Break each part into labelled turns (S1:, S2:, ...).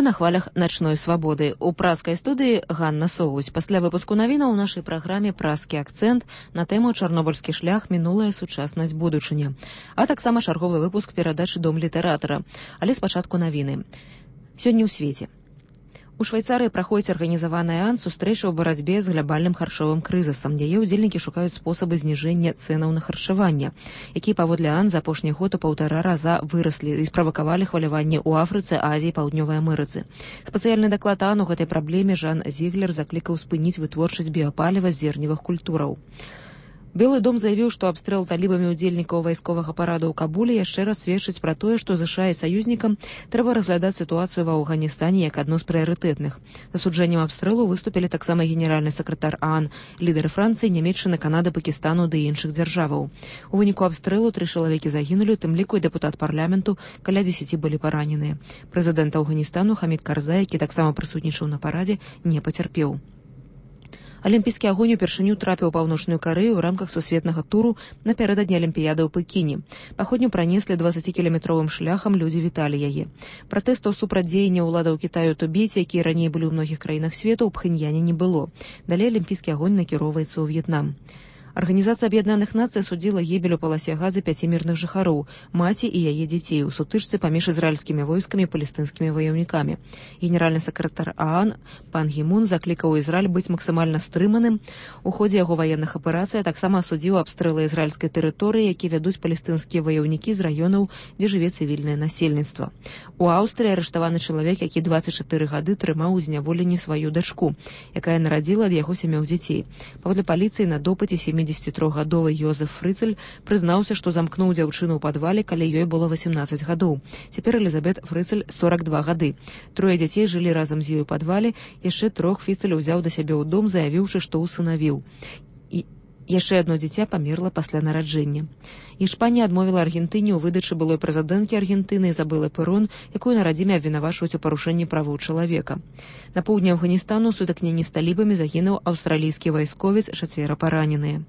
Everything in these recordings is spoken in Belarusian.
S1: на хвалях начной свабоды. У праскай студыі Ганна Соўгусь. Пасля выпуску навінаў у нашай праграме «Праскі акцэнт» на тэму «Чарнобыльскі шлях. Мінулая сучаснасць будучыня». А таксама чарговы выпуск перадачы «Дом літаратара». Але спачатку навіны. Сёння ў свеце. У Швейцарыі праходзіць арганізаваны сустрэча ў барацьбе з глабальным харчовым крызісам. Яе ўдзельнікі шукаюць спосабы зніжэння цэнаў на харчаванне, якія паводле за апошні год у 1,5 раза выраслі і справакавалі хваляванне ў Афрыцы, Азіі, Паўднёвай Амерыцы. Спецыяльны даклад у гэтай праблеме Жан Зіглер заклікаў спыніць вытворчасць біяпаліва з зерневых культураў. Белы дом заявіў, што абстрэл талібамі ўдзельнікаў вайсковага параду ў Кабуле яшчэ раз сведчыць пра тое, што ЗША і саюзнікам трэба разглядаць сітуацыю ва Афганістане як адну з прыярытэтных. Засуджэннем абстрэлу выступілі таксама генеральны сакратар ААН, лідары Францыі, Нямецчыны, Канады, Пакістану ды іншых дзяржаваў. У выніку абстрэлу 3 чалавекі загінулі, у тым ліку і дэпутат парламенту, каля 10 былі параненыя. Прэзідэнт Афганістана Хамід Карзай, які таксама прысутнічаў на парадзе, не пацярпеў. Алімпійскі агонь упершыню трапіў у Паўночную Карэю ў рамках сусветнага туру напярэдадні Алімпіяды ў Пекіне. Паходню пранеслі 20-кіламетровым шляхам, людзі віталі яе. Пратэстаў супраць дзеяння ўладаў Кітаю ў Тыбеце, якія раней былі ў многіх краінах свету, у Пхэньяне не было. Далей алімпійскі агонь накіроўваецца ў В'етнам. Арганізацыя Аб'яднаных Нацый судзіла гібель у паласе Газы 5 мірных жыхароў, маці і яе дзяцей у сутычцы паміж ізраільскімі войскамі і палестынскімі ваяўнікамі. Генеральны сакратар ААН пан Гі Мун заклікаў Ізраіль быць максімальна стрыманым у ходзе яго ваенных аперацый, а таксама асудзіў абстрэлы ізраільскай тэрыторыі, які вядуць палестынскія ваяўнікі з раёнаў, дзе жыве цывільнае насельніцтва. У Аўстрыі арыштаваны чалавек, які 24 гады трымаў у зняволенні сваю дачку, якая нарадзіла ад яго 7 дзяцей. Паводле паліцыі на допыце 73-гадовы Йозеф Фрыцель прызнаўся, што замкнуў дзяўчыну ў падвале, калі ёй было 18 гадоў. Цяпер Элізабет Фрыцель 42 гады. 3 дзяцей жылі разам з ёй у падвале, яшчэ 3 Фрыцель узяў да сябе ў дом, заявіўшы, што ўсынавіў. Яшчэ одно дзіця памерла пасля нараджэння. Іспанія адмовіла Аргентыне ў выдачы былой прэзідэнткі Аргентыны Ізабелы Перон, якую на радзіме абвінавачваюць у парушэнні правоў чалавека. На поўдні Афганістану ў сутыкненні з талібамі загінуў аўстралійскі вайсковец, 4 параненыя.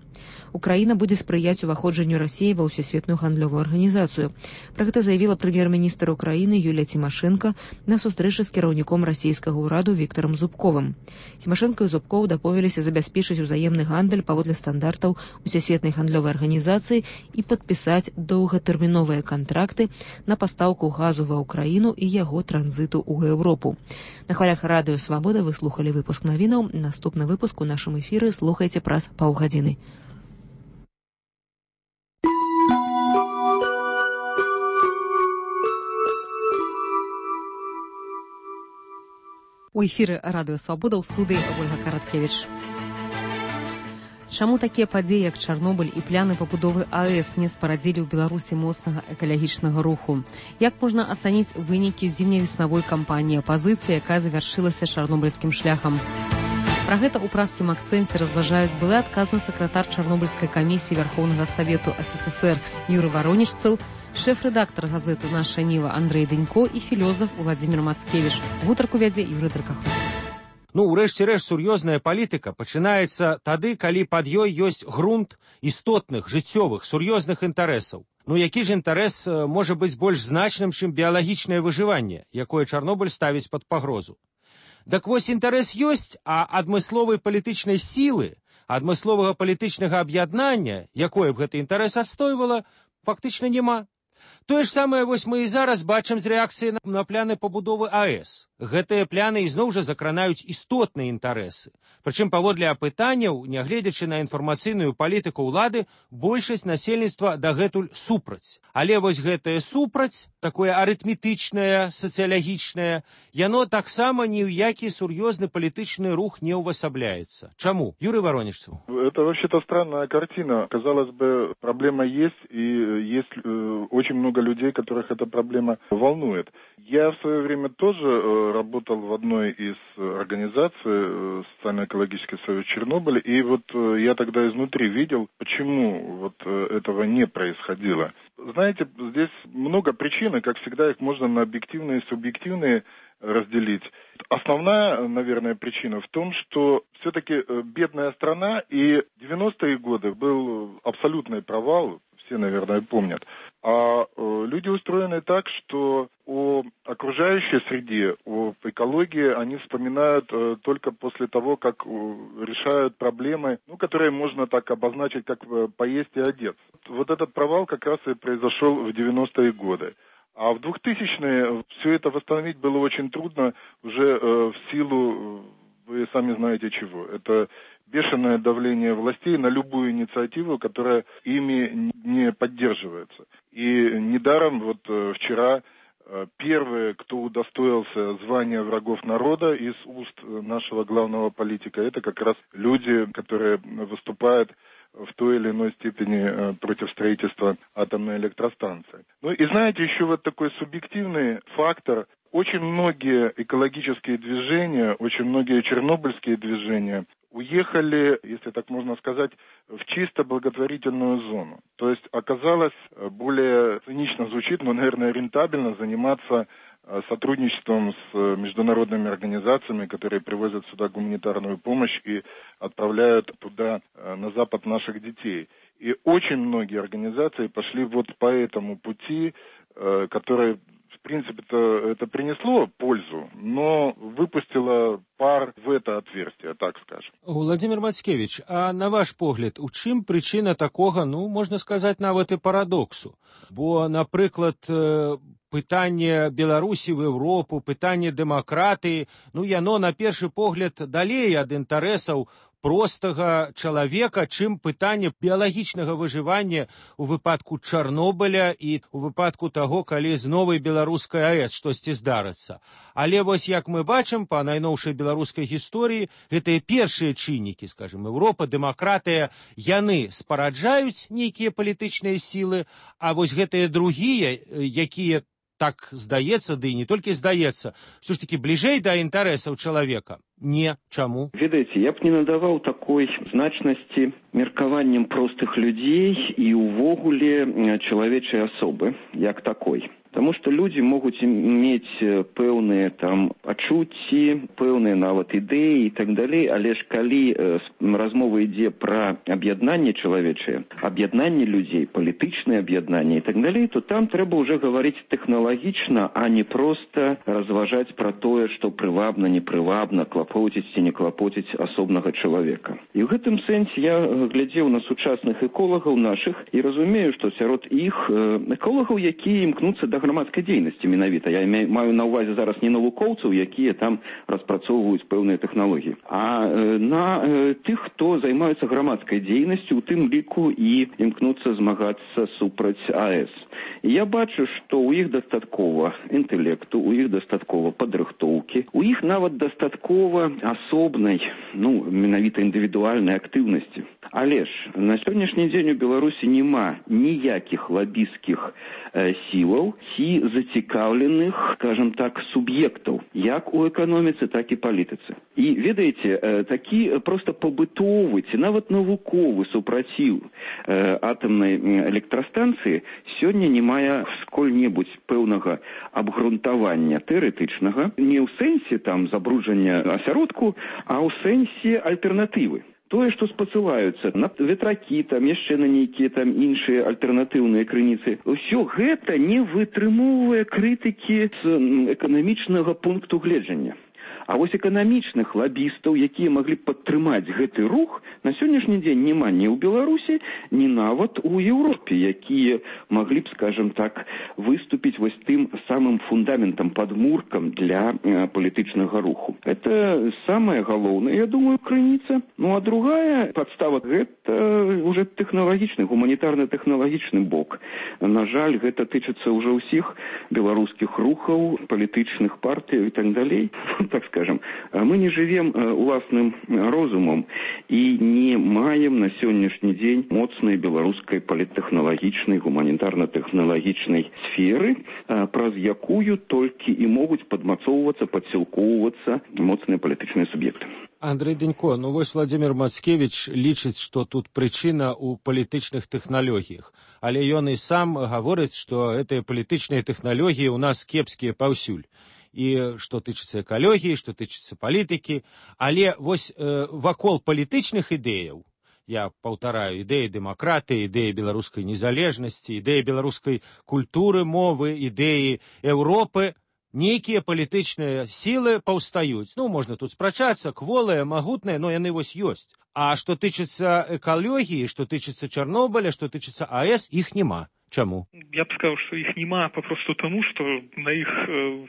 S1: Украіна будзе спрыяць уваходжанню Расіі ва ўсесветную гандлёвую арганізацыю. Пра гэта заявіла прэм'ер-міністр Украіны Юлія Цімашэнка на сустрэчы з кіраўніком расійскага ўраду Віктарам Зубковым. Цімашэнка і Зубков дамовіліся забяспечыць узаемны гандаль паводле стандартаў усесветнай гандлёвай арганізацыі і падпісаць доўгатэрміновыя кантракты на пастаўку газу ва Ўкраіну і яго транзіту ў Еўропу. На хвалях радыё Свабода вы слухалі выпуск навінаў. Наступны выпуск у нашым эфіры слухайце праз паўгадзіны.
S2: У эфіры радыё Свабода ў студыі Ольга Караткевіч. Чаму такія падзеі, як Чарнобыль і пляны пабудовы АЭС не спарадзілі ў Беларусі моцнага экалагічнага руху? Як можна ацаніць вынікі зімне-веснавой кампаніі апазіцыі, якая завяршылася чарнобыльскім шляхам? Пра гэта ў праскім акцэнце разважаюць былы адказны сакратар Чарнобыльскай камісіі Вярхоўнага Савету СССР Юры Варонічцаў, шэф-рэдактар газеты «Наша Ніва» Андрэй Дэнько і філёзаф Владзімір Мацкевіч. Гутарку вядзе Юрый Дракаховскі.
S3: Урэшце рэшт, сур'ёзная палітыка пачынаецца тады, калі пад ёй ёсць грунт істотных, жыццёвых, сур'ёзных інтарэсаў. Які ж інтарэс можа быць больш значным, чым біялагічнае выжыванне, якое Чарнобыль ставіць пад пагрозу? Так вось, інтарэс ёсць, а адмысловай палітычнай сілы, адмысловага палітычнага аб'яднання, якое б гэты інтарэс адстойвала, фактычна няма. Тое ж самае вось мы і зараз бачым з рэакцыі на пляны пабудовы АЭС. Гэтыя пляны ізноў жа закранаюць істотныя інтарэсы. Прычым паводле апытанняў, нягледзячы на інфармацыйную палітыку ўлады, большасць насельніцтва дагэтуль супраць. Але вось гэтае супраць, такое арытметычнае, сацыялагічнае, яно таксама ні ў які сур'ёзны палітычны рух не увасабляецца. Чаму? Юрий Воронежцев.
S4: Это вообще-то странная картина. Казалось бы, проблема есть, и есть очень много людей, которых эта проблема волнует. Я в свое время тоже работал в одной из организаций, Социально-экологический союз Чернобыля, и вот я тогда изнутри видел, почему вот этого не происходило. Знаете, здесь много причин, и, как всегда, их можно на объективные и субъективные разделить. Основная, наверное, причина в том, что все-таки бедная страна, и 90-е годы был абсолютный провал, все, наверное, помнят. А люди устроены так, что о окружающей окружающей среде, об экологии они вспоминают только после того, как решают проблемы, которые можно так обозначить, как поесть и одеться. Вот этот провал как раз и произошел в 90-е годы. А в 2000-е все это восстановить было очень трудно уже в силу, вы сами знаете чего. Это бешеное давление властей на любую инициативу, которая ими не поддерживается. И недаром вот вчера первые, кто удостоился звания врагов народа из уст нашего главного политика, это как раз люди, которые выступают в той или иной степени против строительства атомной электростанции. И знаете, еще вот такой субъективный фактор. Очень многие экологические движения, очень многие чернобыльские движения уехали, если так можно сказать, в чисто благотворительную зону. То есть оказалось, более цинично звучит, но, наверное, рентабельно заниматься сотрудничеством с международными организациями, которые привозят сюда гуманитарную помощь и отправляют туда, на Запад, наших детей. И очень многие организации пошли вот по этому пути, который, в принципе-то, это принесло пользу, но выпустило пар в это отверстие, так скажем.
S3: Владимир Мацкевич, а на ваш погляд, у чым причина такога, можна сказаць, нават і парадоксу? Бо, напрыклад, пытанне Беларусі в Еўропу, пытанне дэмакратыі, яно на першы погляд далей ад інтарэсаў простага чалавека, чым пытанне біялагічнага выжывання у выпадку Чарнобыля і у выпадку таго, калі з новай беларускай АЭС штосьці здарыцца. Але вось як мы бачым па найноўшай беларускай гісторыі, гэтыя першыя чыннікі, скажем, Еўропа, дэмакратыя, яны спараджаюць нейкія палітычныя сілы, а вось гэтыя другія, якія, так здаецца, ды і не толькі здаецца, все ж таки бліжэй да інтарэсаў чалавека. Не, чаму?
S5: Ведаеце, я б не надаваў такой значнасці меркаванням простых людзей і ўвогуле чалавечай асобы, як такой. Потому что люди могут иметь пэўныя адчуцці, пэўныя нават ідэі і так далей, але ж калі размова ідзе пра аб'яднанне чалавечае, аб'яднанне людзей, палітычнае аб'яднанне і так далей, то там трэба ўжо гаварыць тэхналагічна, а не проста разважаць пра тое, што прывабна, непрывабна, клапоціць ці не клапоціць асобнага чалавека. І ў гэтым сэнсе я глядзеў на сучасных эколагаў нашых і разумею, што сярод іх эколагаў, якія імкнуцца да грамадскай дзейнасці менавіта. Я маю на ўвазе зараз не навукоўцаў, якія там распрацоўваюць пэўныя тэхналогіі, а на тых, хто займаецца грамадскай дзейнасцю, у тым ліку і імкнуцца змагацца супраць АЭС. І я бачу, што ў іх дастаткова інтэлекту, у іх дастаткова падрыхтоўкі, у іх нават дастаткова асобнай, менавіта індывідуальнай актыўнасці. Але ж на сённяшні дзень у Беларусі няма ніякіх лабісцкіх сілаў ці зацікаўленых, скажем так, суб'ектаў, як у эканоміцы, так і палітыцы. І, ведаеце, такі проста пабытовы ці нават навуковы супраціў атамнай электрастанцыі сёння не мае сколь-небудзь пэўнага абгрунтавання тэарэтычнага, не ў сэнсе забруджання асяродку, а ў сэнсе альтэрнатывы. Тое, што спасылаюцца на ветракі, яшчэ на нейкія іншыя альтэрнатыўныя крыніцы, ўсё гэта не вытрымоўвае крытыкі з эканамічнага пункту гледжання. А вось эканамічных лабістаў, якія маглі падтрымаць гэты рух, на сённяшні дзень няма ні ў Беларусі, ні нават у Еўропе, якія маглі б, скажем так, выступіць вось тым самым фундаментам, падмуркам для палітычнага руху. Это самая галоўная, я думаю, крыніца. А другая падстава – гэта уже тэхналагічны, гуманітарна-тэхналагічны бок. На жаль, гэта тычыцца ўжо ўсіх беларускіх рухаў, палітычных партый і так далей. Так скажем, мы не живем уласным розумом и не маем на сегодняшний день моцной белорусской политтехнологичной, гуманитарно-технологичной сферы, праз якую только и могут подмацоўвацца, падсілкоўвацца моцныя палітычныя суб'екты.
S3: Андрей Денько, вось Владимир Мацкевич лічыць, што тут прычына ў палітычных тэхналогіях. Але ён і сам гаворыць, што гэтыя палітычныя тэхналогіі ў нас кепскія паўсюль. І што тычыцца экалогіі, што тычыцца палітыкі, але вось вакол палітычных ідэяў, я паўтараю, ідэі дэмакратыі, ідэі беларускай незалежнасці, ідэі беларускай культуры, мовы, ідэі Еўропы, нейкія палітычныя сілы паўстаюць. Ну, можна тут спрачацца, кволыя, магутныя, но яны вось ёсць. А што тычыцца экалогіі, што тычыцца Чарнобыля, што тычыцца АЭС, іх няма. Чаму?
S6: Я б сказаў, што іх няма папросту таму, што на іх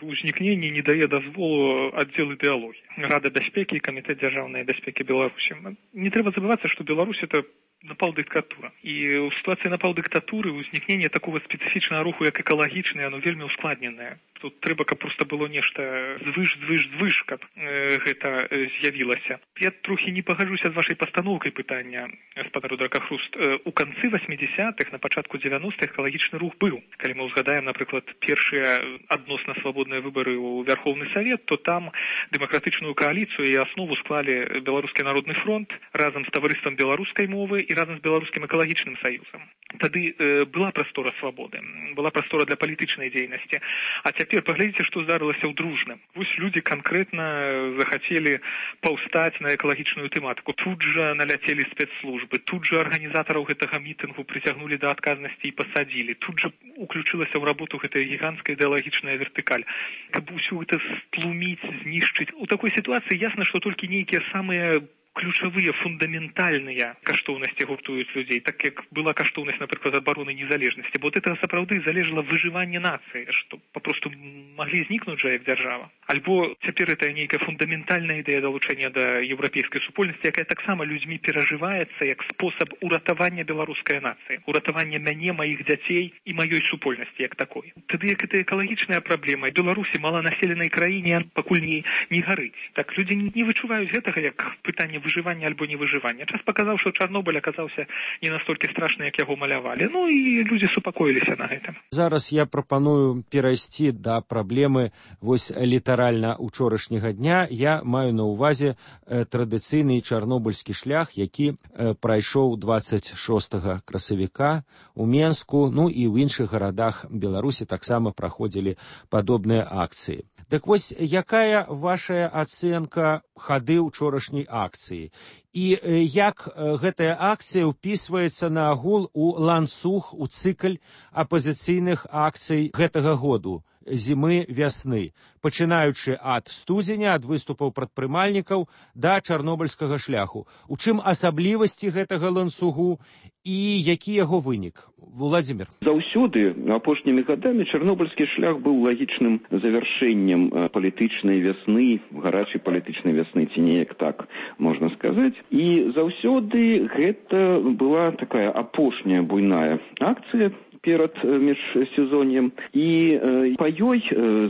S6: узнікненне не дае дазволу аддзел ідэалогіі. Рада бяспекі і камітэт дзяржаўнай бяспекі Беларусі. Не трэба забывацца, што Беларусь это напал диктатура. І ў ситуації напал диктатуры узнікнення такого специфічного руху, як екологічний, оно вельмі ускладнене. Тут трэба, каб просто было нешта звыш, каб гэта з'явілася. Я трохи не пагаджуся з вашай пастаноўкай пытання, гаспадар Дракахруст. У канцы 80-х, на пачатку 90-х экалагічны рух быў. Калі мы ўзгадаем, напрыклад, першыя адносна свабодныя выбары ў Верховны Савет, то там дэмакратычную кааліцыю і аснову склалі Беларускі народны фронт разам з таварыствам беларускай мовы і разам з беларускім экалагічным саюзам. Тады была прастора свабоды, была прастора для палітычнай дзейнасці. А цяпер паглядзіце, што здарылася ў Дружным. Вось людзі канкрэтна захацелі паўстаць на экалагічную тэматыку. Тут жа наляцелі спецслужбы, тут жа арганізатараў гэтага мітынгу прыцягнулі да адказнасці і пасадзілі. Тут жа уключылася ў работу гэтая гіганцкая ідэалагічная вертыкаль. Каб усё гэта стлуміць, знішчыць. У такой сітуацыі ясна, што толькі нейкія самыя ключавыя, фундаментальныя каштоўнасці гуртуюць людзей, так як была каштоўнасць, напрыклад, абароны незалежнасці. Бо от этого сапраўды залежала выжыванне нацыі, што папросту маглі знікнуць жа як дзяржава. Альбо цяпер это нейкая фундаментальная ідэя далучэння да еўрапейскай супольнасці, якая таксама людзьмі перажываецца як спосаб уратавання беларускай нацыі, уратавання мяне, маіх дзяцей і маёй супольнасці як такой. Тады як гэта экалагічная праблема, Беларусі, маланаселенай краіне, пакуль не гарыць. Так людзі не вычуваюць гэтага як пытанне выжывання альбо невыжывання. Час паказаў, што Чарнобыль аказаўся не настолькі страшны, як яго малявалі. Ну і людзі супакоіліся на гэтым.
S3: Зараз я прапаную перайсці да праблемы вось літаральна учорашняга дня. Я маю на ўвазе традыцыйны чарнобыльскі шлях, які прайшоў 26 красавіка у Менску, ну і ў іншых гарадах Беларусі таксама праходзілі падобныя акцыі. Так вось, якая вашая ацэнка хады учорашняй акцыі? І як гэтая акцыя ўпісваецца на агул у ланцуг, у цыкль апазіцыйных акцый гэтага году, зімы-вясны, пачынаючы ад студзеня, ад выступаў прадпрымальнікаў да чарнобыльскага шляху. У чым асаблівасці гэтага ланцугу і які яго вынік? Владзімір.
S5: Заўсёды апошнімі гадамі чарнобыльскі шлях быў лагічным завяршэннем палітычнай вясны, гарачай палітычнай вясны, ці неяк так можна сказаць. І заўсёды гэта была такая апошняя буйная акцыя перад міжсезоннем. І па ёй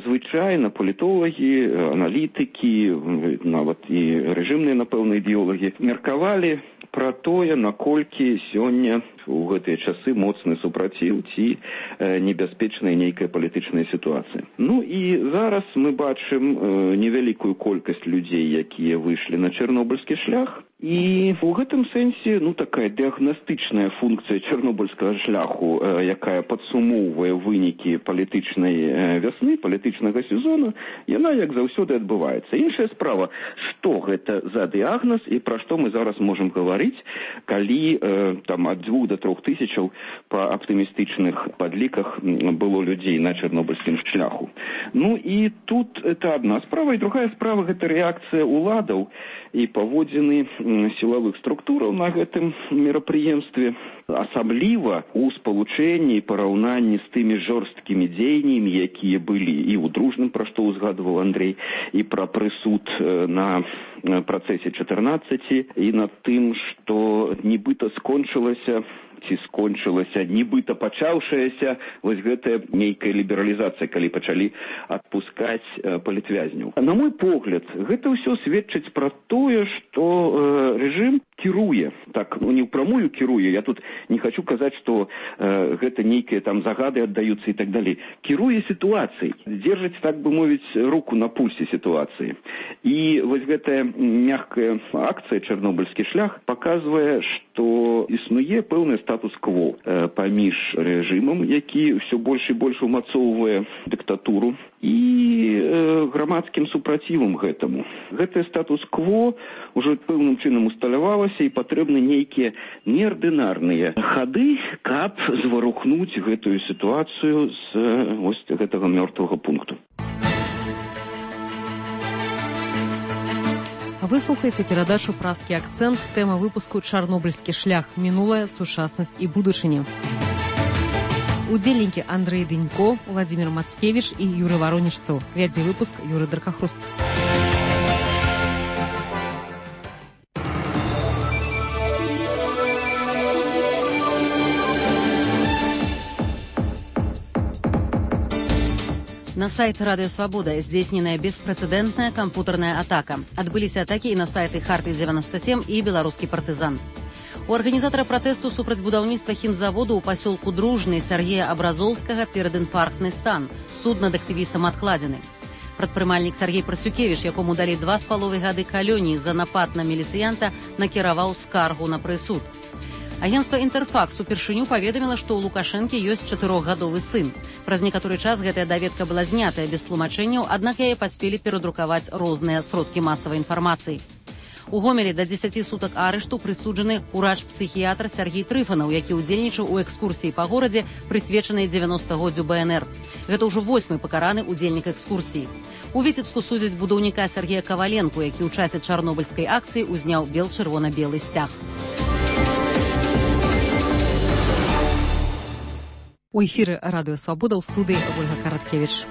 S5: звычайна палітолагі, аналітыкі, нават і рэжымныя, напэўна, ідэолагі меркавалі пра тое, наколькі сёння у гэтыя часы моцны супраціў ці небяспечная нейкая палітычная сітуацыя. Ну і зараз мы бачым невялікую колькасць людзей, якія выйшлі на чарнобыльскі шлях. І ў гэтым сэнсе, такая дыягнастычная функцыя чарнобыльскага шляху, якая падсумоўвае вынікі палітычнай вясны, палітычнага сезону, яна, як заўсёды, адбываецца. Іншая справа, што гэта за дыягназ і пра што мы зараз можам гаварыць, калі ад 2 до 3 тысячаў па аптымістычных падліках было людзей на чарнобыльскім шляху. Ну і тут это адна справа, і другая справа гэта рэакцыя ўладаў і паводзіны сілавых структураў на гэтым мерапрыемстве, асабліва ў спалучэнні і параўнанні з тымі жорсткімі дзеяннямі, якія былі і ў Дружным, пра што ўзгадваў Андрей, і пра прысуд на працэсе 14, і над тым, што нібыта скончылася нібыта пачаўшаяся вось гэтая нейкая лібералізацыя, калі пачалі адпускаць палітвязняў. На мой погляд, гэта ўсё сведчыць пра тое, што рэжым кіруе, так, не ўпрамую кіруе, я тут не хочу казаць, што гэта нейкія там загады аддаюцца і так далей. Кіруе сітуацыяй, дзержыць, так бы мовіць, руку на пульсе сітуацыі. І вось гэтая мяккая акцыя «Чарнобыльскі шлях» паказвае, што існуе пэўны статус-кво паміж рэжымам, які ўсё больш і больш умацоўвае дыктатуру, і грамадскім супрацівам гэтаму. Гэтае статус-кво ўжо пэўным чынам усталявалася, і патрэбны нейкія неардынарныя хады, каб зварухнуць гэтую сітуацыю з вось гэтага мёртвага пункту.
S2: Вы слухаеце перадачу «Праскі акцэнт», тэма выпуску «Чарнобыльскі шлях. Мінулае, сучаснасць і будучыня». Удзельнікі Андрэй Дынько, Владзімір Мацкевіч і Юрый Варонічцаў. Вядзе выпуск Юрый Даркахруст.
S7: На сайт Радио Свобода здзейсненая беспрэцэдэнтная кампутарная атака. Адбыліся атакі і на сайты Харты-97 і Беларускі партызан. У арганізатара пратэсту супраць будаўніцтва хімзаводу ў пасёлку Дружны Сергея Абразоўскага пераінфарктны стан. Суд над актывістам адкладзены. Прадпрымальнік Сергей Прасюкевіч, якому далі 2,5 гады калоніі за напад на міліцыянта, накіраваў скаргу на прысуд. Агенцтва «Інтэрфакс» упершыню паведаміла, што ў Лукашэнкі ёсць 4-гадовы сын. Праз некаторы час гэтая даведка была знятая без тлумачэнняў, аднак яе паспелі перадрукаваць розныя сродкі масавай інфармацыі. У Гомелі да 10 сутак арышту прысуджаны урач-псіхіятр Сергей Трыфанаў, які ўдзельнічаў у экскурсіі па горадзе, прысвечанай 90-годдзю БНР. Гэта ўжо 8-й пакараны ўдзельнік экскурсіі. У Віцебску судзяць будаўніка Сергея Каваленку, які ў часе чарнобыльскай акцыі узняў бел-чырвона-белы сцяг.
S2: У эфіры Радыё Свабода ў студыі Ольга Караткевіч.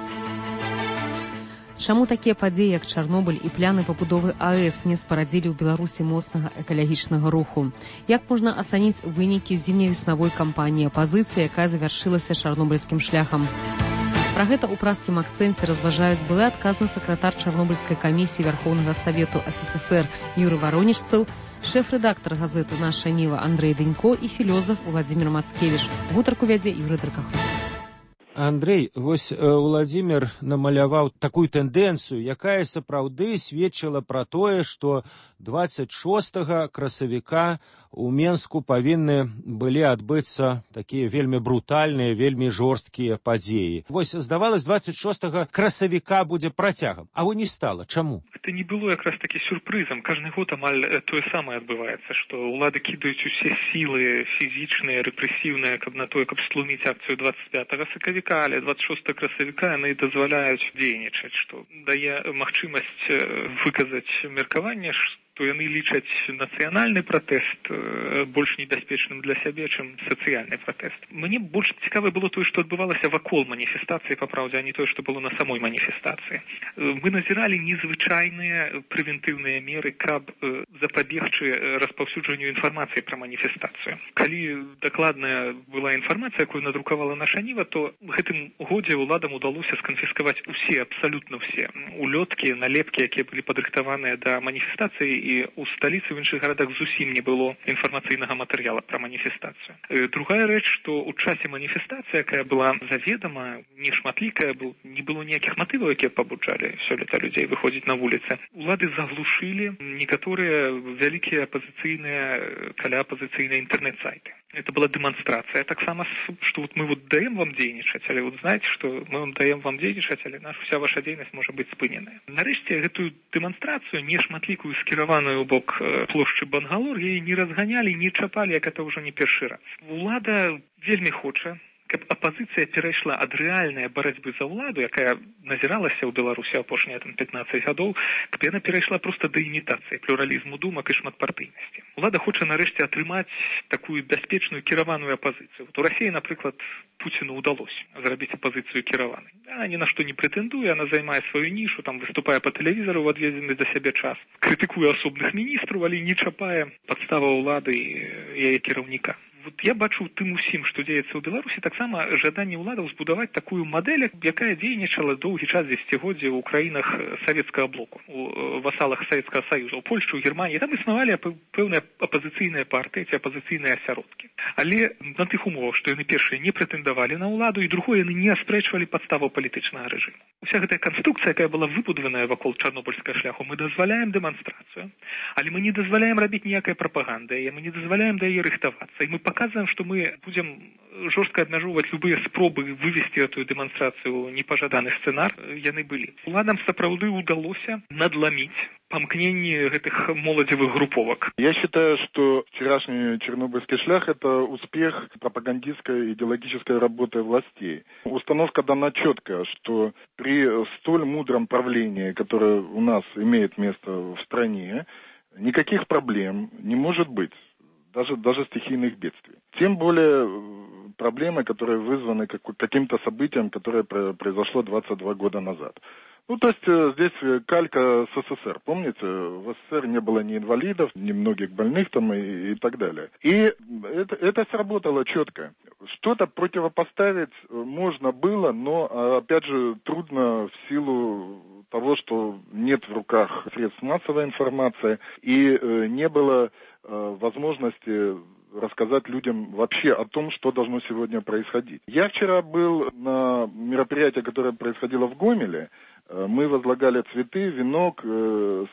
S2: Чаму такія падзеі, як Чарнобыль і пляны пабудовы АЭС не спарадзілі ў Беларусі моцнага экалагічнага руху? Як можна ацаніць вынікі зімне-веснавой кампаніі апазіцыі, якая завяршылася чарнобыльскім шляхам? Пра гэта ў праскім акцэнце разважаюць былы адказны сакратар Чарнобыльскай камісіі Вярхоўнага Савету СССР Юрый Варонічцаў, шэф-рэдактар газеты «Наша Ніва» Андрэй Дынько і філёзаф Владзімір Мацкевіч. Гутарку вядзе Юрый Даркахруст.
S3: Андрэй, вось Владзімір намаляваў такую тэндэнцыю, якая сапраўды сведчыла пра тое, што 26 красавіка у Менску павінны былі адбыцца такія вельмі брутальныя, вельмі жорсткія падзеі. Вось, здавалось, 26 красавіка будзе працягам, а не стала. Чаму?
S6: Это не было якраз таки сюрпрызам. Каждый год амаль тое самае адбываецца, што ўлады кідаюць усе сілы фізічныя, рэпрэсіўныя, каб на тое, каб стлуміць акцыю 25 сакавіка, але 26 красавіка яны дазваляюць дзейнічаць, што дае магчымасць выказаць меркаванне, то яны лічаць нацыянальны пратэст больш небяспечным для сябе, чым сацыяльны пратэст. Мне больш цікава было тое, што адбывалася вакол маніфестацыі, па праўдзе, а не тое, што было на самой маніфестацыі. Мы назіралі незвычайныя прэвентыўныя меры, каб запабегчы распаўсюджанню інфармацыі пра маніфестацыю. Калі дакладная была інфармацыя, якую надрукавала наша Ніва, то гэтым годзе ўладам удалося сканфіскаваць усе, абсалютна ўсе улёткі, налепкі, якія былі падрыхтаваныя да маніфестацыі, і ў сталіцы, в іншых гарадах зусім не было інфармацыйнага матэрыяла пра маніфестацыю. Другая рэч, што ў часе маніфестацыі, якая была заведама, нешматлікая, не было ніякіх матываў, якія пабуджалі сёлета людзей выходзіць на вуліцы. Улады заглушылі некаторыя вялікія апазіцыйныя, каляапазіцыйныя інтэрнэт-сайты. Это была дэманстрацыя. Таксама, што вот мы вот даем вам дзейнічаць, але вот знаете, што мы вам даем вам дзейнічаць, але вся ваша дзейнасць можа быць спыненая. Нарэшце, гэтую дэманстрацыю, нешматлікую, скіраваную ў бок плошчы Бангалор, яе не разганялі, не чапалі, як это ўжо не першы раз. Улада вельмі хоча, каб апазіцыя перайшла ад рэальнай барацьбы за ўладу, якая назіралася ў Беларусі апошнія 15 гадоў, каб яна перайшла проста да імітацыі плюралізму думак і шматпартыйнасці. Улада хоча нарэшце атрымаць такую бяспечную кіраваную апазіцыю. У Расіі, напрыклад, Пуціну ўдалося зрабіць апазіцыю кіраванай. Яна ні на што не прэтэндуе, яна займае сваю нішу, там выступае па тэлевізару ў адведзены да сябе час, крытыкуе асобных міністраў, але не чапае падстава ўлады і яе кіраўніка. Вот я бачу тым усім, што дзеецца ў Беларусі, таксама жаданне ўладаў збудаваць такую мадэль, якая дзейнічала доўгі час дзесяцігоддзя ў краінах савецкага блоку, у васалах Савецкага Саюза, у Польшчы, у Германіі. Там існавалі пэўныя апазіцыйныя партыі ці апазіцыйныя асяродкі. Але на тых умовах, што яны першыя не прэтэндавалі на ўладу, і другое, яны не аспрэчвалі падставу палітычнага рэжыму. Уся гэтая канструкцыя, якая была выбудаваная вакол чарнобыльскага шляху, мы дазваляем дэманстрацыю, але мы не дазваляем рабіць ніякай прапаганды, мы не дазваляем да яе рыхтавацца, і мы паказваем, што мы будзем жорстка абмяжоўваць любыя спробы вывесці эту дэманстрацыю непажаданы сцэнар, яны былі. Уладам сапраўды ўдалося надламіць помкнение этих молодевых групповок.
S4: Я считаю, что вчерашний чернобыльский шлях – это успех пропагандистской идеологической работы властей. Установка дана четкая, что при столь мудром правлении, которое у нас имеет место в стране, никаких проблем не может быть, даже стихийных бедствий. Тем более проблемы, которые вызваны каким-то событием, которое произошло 22 года назад. Ну, то есть здесь калька с СССР. Помните, в СССР не было ни инвалидов, ни многих больных там и так далее. И это сработало четко. Что-то противопоставить можно было, но, опять же, трудно в силу того, что нет в руках средств массовой информации и не было возможности рассказать людям вообще о том, что должно сегодня происходить. Я вчера был на мероприятии, которое происходило в Гомеле. Мы возлагали цветы, венок,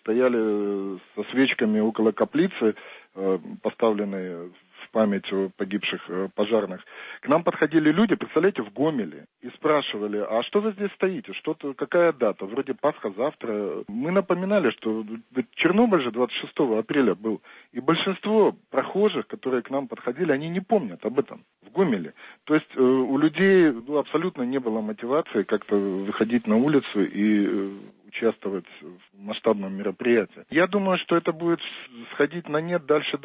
S4: стояли со свечками около каплицы, поставленной в память о погибших пожарных. К нам подходили люди, представляете, в Гомеле, и спрашивали, а что вы здесь стоите, что-то, какая дата, вроде Пасха завтра. Мы напоминали, что Чернобыль же 26 апреля был, и большинство прохожих, которые к нам подходили, они не помнят об этом в Гомеле. То есть у людей абсолютно не было мотивации как-то выходить на улицу и участвовать в масштабном мероприятии. Я думаю, что это будет сходить на нет дальше,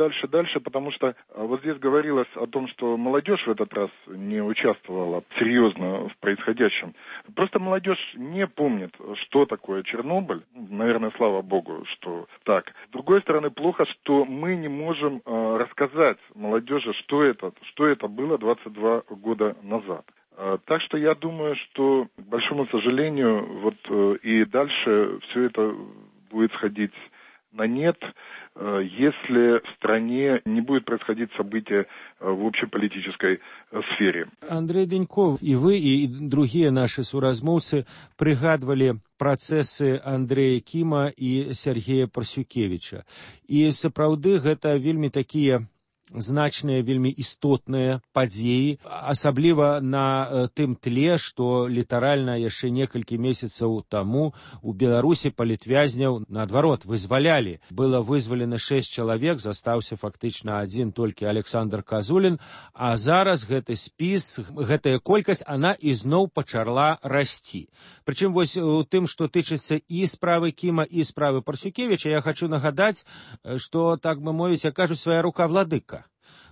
S4: потому что вот здесь говорилось о том, что молодежь в этот раз не участвовала серьезно в происходящем. Просто молодежь не помнит, что такое Чернобыль. Наверное, слава богу, что так. С другой стороны, плохо, что мы не можем рассказать молодежи, что это было 22 года назад. Так что я думаю, что, к большому сожалению, вот и дальше все это будет сходить на нет, если в стране не будет происходить события в общеполитической сфере.
S3: Андрей Деньков, и вы, и другие наши суразмовцы пригадывали процессы Андрея Кима и Сергея Парсюкевича. И сапраўды гэта вельмі такие значныя, вельмі істотныя падзеі, асабліва на тым тле, што літаральна яшчэ некалькі месяцаў таму у Беларусі палітвязняў, наадварот, вызвалялі. Было вызвалена 6 чалавек, застаўся фактычна адзін толькі Александр Казулін, а зараз гэты спіс, гэтая колькасць, она ізноў пачала расці. Прычым вось у тым, што тычыцца і справы Кіма, і справы Парсюкевіча, я хочу нагадаць, што, так бы мовіць, як кажуць, свая рука владыка.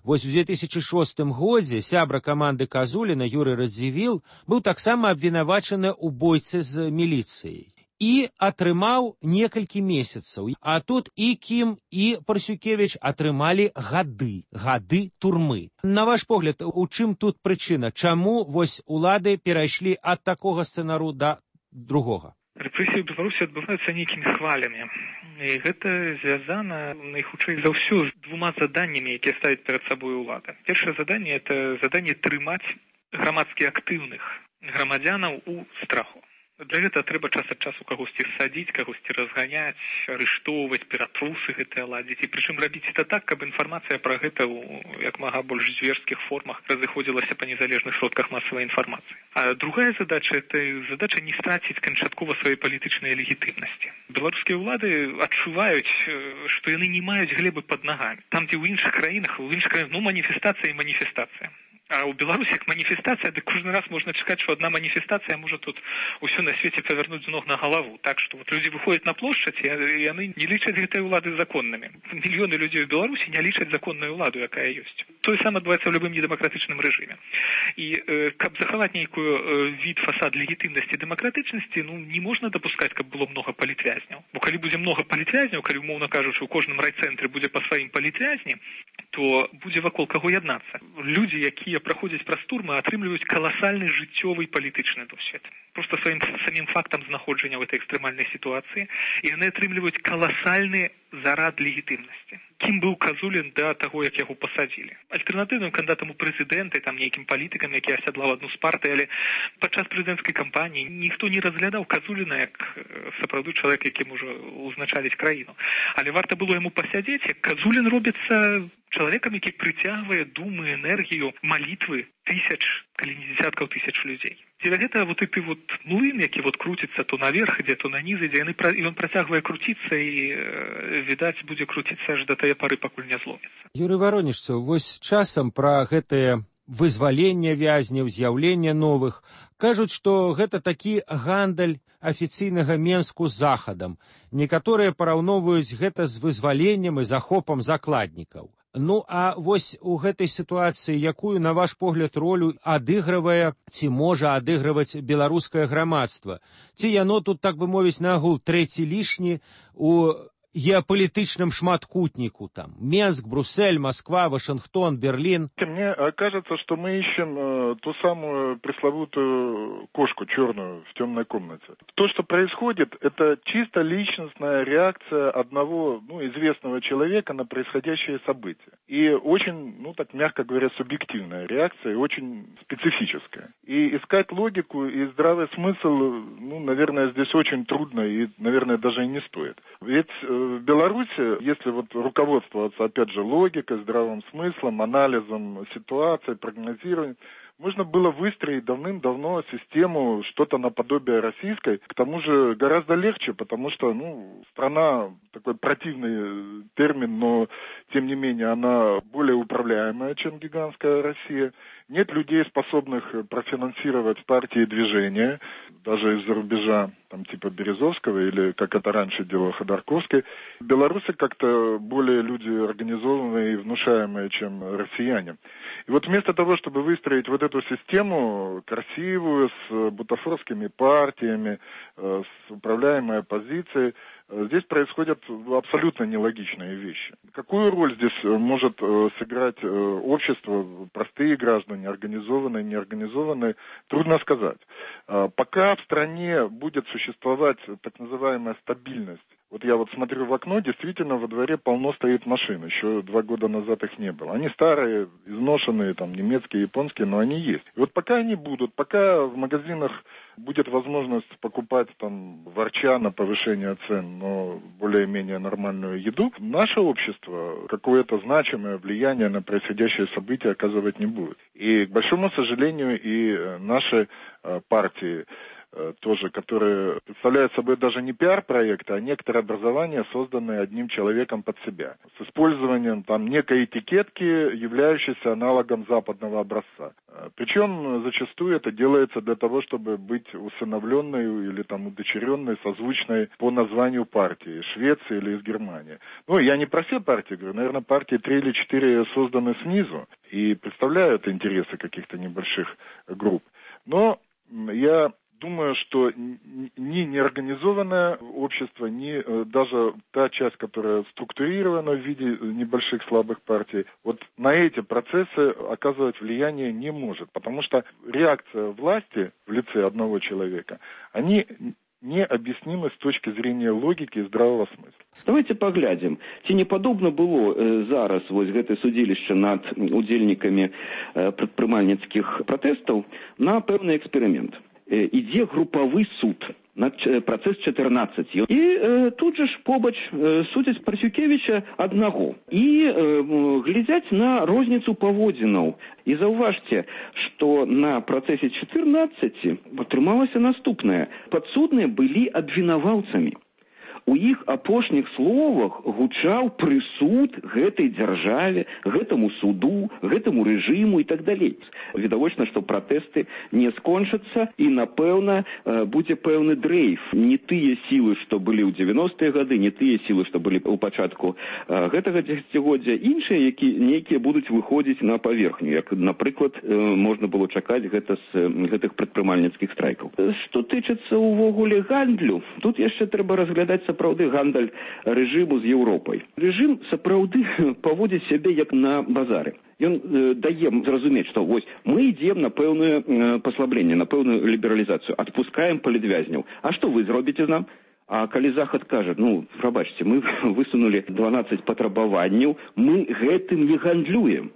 S3: Вось у 2006 годзе сябра каманды Казуліна Юрый Радзівіл быў таксама абвінавачаны ў бойцы з міліцыяй і атрымаў некалькі месяцаў. А тут і Кім, і Парсюкевіч атрымалі гады турмы. На ваш погляд, у чым тут прычына? Чаму вось улады перайшлі ад такога сцэнару да другога?
S6: Рэпрэсіі ў Беларусі адбываюцца нейкімі хвалямі. І гэта звязана найхутчэй за ўсё з двума заданнямі, якія ставіць перад сабой улада. Першае заданне – это заданне трымаць грамадскі актыўных грамадзянаў у страху. Для гэта трэба час ад часу кагосьці садзіць, кагосьці разганяць, арыштоўваць, ператрусы гэтыя ладзіць. І прычым рабіць это так, каб інфармацыя пра гэта ў як мага больш зверскіх формах разыходзілася па незалежных сродках масавай інфармацыі. А другая задача – это задача не страціць канчаткова сваёй палітычнай легітымнасці. Беларускія ўлады адчуваюць, што яны не маюць глебы пад нагамі. Там, дзе ў іншых краінах, маніфестацыя і маніфестацыя. А ў Беларусі як маніфестацыя, дык кожны раз можна чакаць, што адна маніфестацыя можа тут усё на свеце павярнуць з ног на галаву. Так што вот людзі выходзяць на плошчаць, і яны не лічаць гэтыя ўлады законнымі. Мільёны людзей у Беларусі не лічаць законную ўладу, якая ёсць. Тое самае адбываецца ў любым недэмакратычным рэжыме. І каб захаваць нейкую від фасад легітымнасці дэмакратычнасці, не можна дапускаць, каб было многа палітвязняў. Бо калі будзе многа палітвязняў, калі, умоўна кажучы, у кожным райцэнтры будзе па сваім палітвязні, то будзе вакол каго яднацца. Людзі, якія праходзяць праз турмы, атрымліваюць каласальны жыццёвы палітычны досвед. Просто сваім самім фактам знаходжання ў этой экстрэмальнай сітуацыі, і яны атрымліваюць каласальны зарад легітымнасці. Кім быў Казулін да таго, як яго пасадзілі? Альтэрнатыўным кандыдатам у прэзідэнты, там нейкім палітыкам, які асядлаў адну з партый, але падчас прэзідэнцкай кампаніі ніхто не разглядаў Казуліна як сапраўды чалавек, які можа ўзначаліць краіну. Але варта было яму пасядзець, як Казулін робіцца чалавекам, які прыцягвае думы, энергію, малітвы тысяч, калі не дзесяткаў тысяч людзей. Дзеля гэта вот і ты вот млын, які вот круціцца то наверх ідзе, то на ніз ідзе, ён працягвае круціцца і, відаць, будзе круціцца аж да тае пары, пакуль не зломіцца.
S3: Юрый Воронежцаў, вось часам пра гэтае вызваленне вязняў, з'яўленне новых кажуць, што гэта такі гандаль афіцыйнага Менску з захадам. Некаторыя параўноўваюць гэта з вызваленнем і захопам закладнікаў. Ну, а вось у гэтай сітуацыі, якую, на ваш погляд, ролю адыгрывае ці можа адыгрываць беларускае грамадства? Ці яно тут, так бы мовіць, нагул трэці лішні у геополитичном шматкутнику, там, Минск, Брюссель, Москва, Вашингтон, Берлин.
S4: Мне кажется, что мы ищем ту самую пресловутую кошку черную в темной комнате. То, что происходит, это чисто личностная реакция одного, известного человека на происходящее событие. И очень, так мягко говоря, субъективная реакция, и очень специфическая. И искать логику и здравый смысл, наверное, здесь очень трудно и, наверное, даже и не стоит. Ведь в Беларуси, если вот руководствоваться, опять же, логикой, здравым смыслом, анализом ситуации, прогнозированием, можно было выстроить давным-давно систему что-то наподобие российской. К тому же гораздо легче, потому что, страна, такой противный термин, но, тем не менее, она более управляемая, чем гигантская Россия. Нет людей, способных профинансировать партии и движения, даже из-за рубежа, типа Березовского, или, как это раньше делал Ходорковский. Белорусы как-то более люди организованные и внушаемые, чем россияне. И вот вместо того, чтобы выстроить вот эту систему красивую, с бутафорскими партиями, с управляемой оппозицией, здесь происходят абсолютно нелогичные вещи. Какую роль здесь может сыграть общество, простые граждане, организованные, неорганизованные, трудно сказать. Пока в стране будет существовать так называемая стабильность, вот я смотрю в окно, действительно во дворе полно стоит машин, еще 2 года назад их не было. Они старые, изношенные, немецкие, японские, но они есть. И вот пока они будут, пока в магазинах будет возможность покупать ворча на повышение цен, но более-менее нормальную еду, наше общество какое-то значимое влияние на происходящее событие оказывать не будет. И, к большому сожалению, и наши партии тоже, которые представляют собой даже не пиар-проекты, а некоторые образования, созданные одним человеком под себя, с использованием некой этикетки, являющейся аналогом западного образца. Причем зачастую это делается для того, чтобы быть усыновленной или удочеренной, созвучной по названию партии, Швеции или из Германии. Я не про все партии говорю, наверное, партии 3 или 4 созданы снизу и представляют интересы каких-то небольших групп. Но я думаю, что ни неорганизованное общество, ни даже та часть, которая структурирована в виде небольших слабых партий, вот на эти процессы оказывать влияние не может, потому что реакция власти в лице одного человека, они необъяснимы с точки зрения логики и здравого смысла.
S5: Давайте поглядим, ці не падобна было зараз гэтае судзілішча над удзельнікамі прадпрымальніцкіх пратэстаў на пэўны эксперымент. Ідзе групавы суд на працэс 14. І тут же ж побач судзяць Парасюкевіча аднаго. І глядзяць на розніцу паводзінаў. І заўважце, што на працэсе 14 атрымалася наступнае. Падсудныя былі абвінаваўцамі. У іх апошніх словах гучаў прысуд гэтай дзяржаве, гэтаму суду, гэтаму рэжыму і так далей. Відавочна, што пратэсты не скончацца і, напэўна, будзе пэўны дрейф. Не тыя сілы, што былі ў 90-е гады, не тыя сілы, што былі ў пачатку гэтага дзесяцігоддзя, іншыя, нейкія будуць выходзіць на паверхню, як, напрыклад, можна было чакаць гэта з гэтых прадпрымальніцкіх страйкаў. Што тычыцца ўвогуле гандлю, тут яшчэ трэба разглядаць сапраўды гандаль рэжыму з Еўропай. Рэжым сапраўды паводзіць сябе як на базары. Ён дае зразумець, што мы ідзем на пэўнае паслабленне, на пэўную лібералізацыю, адпускаем палітвязняў. А што вы зробіце з нам? А калі Захад кажа, прабачце, мы высунули 12 патрабаванняў, мы гэтым не гандлюем.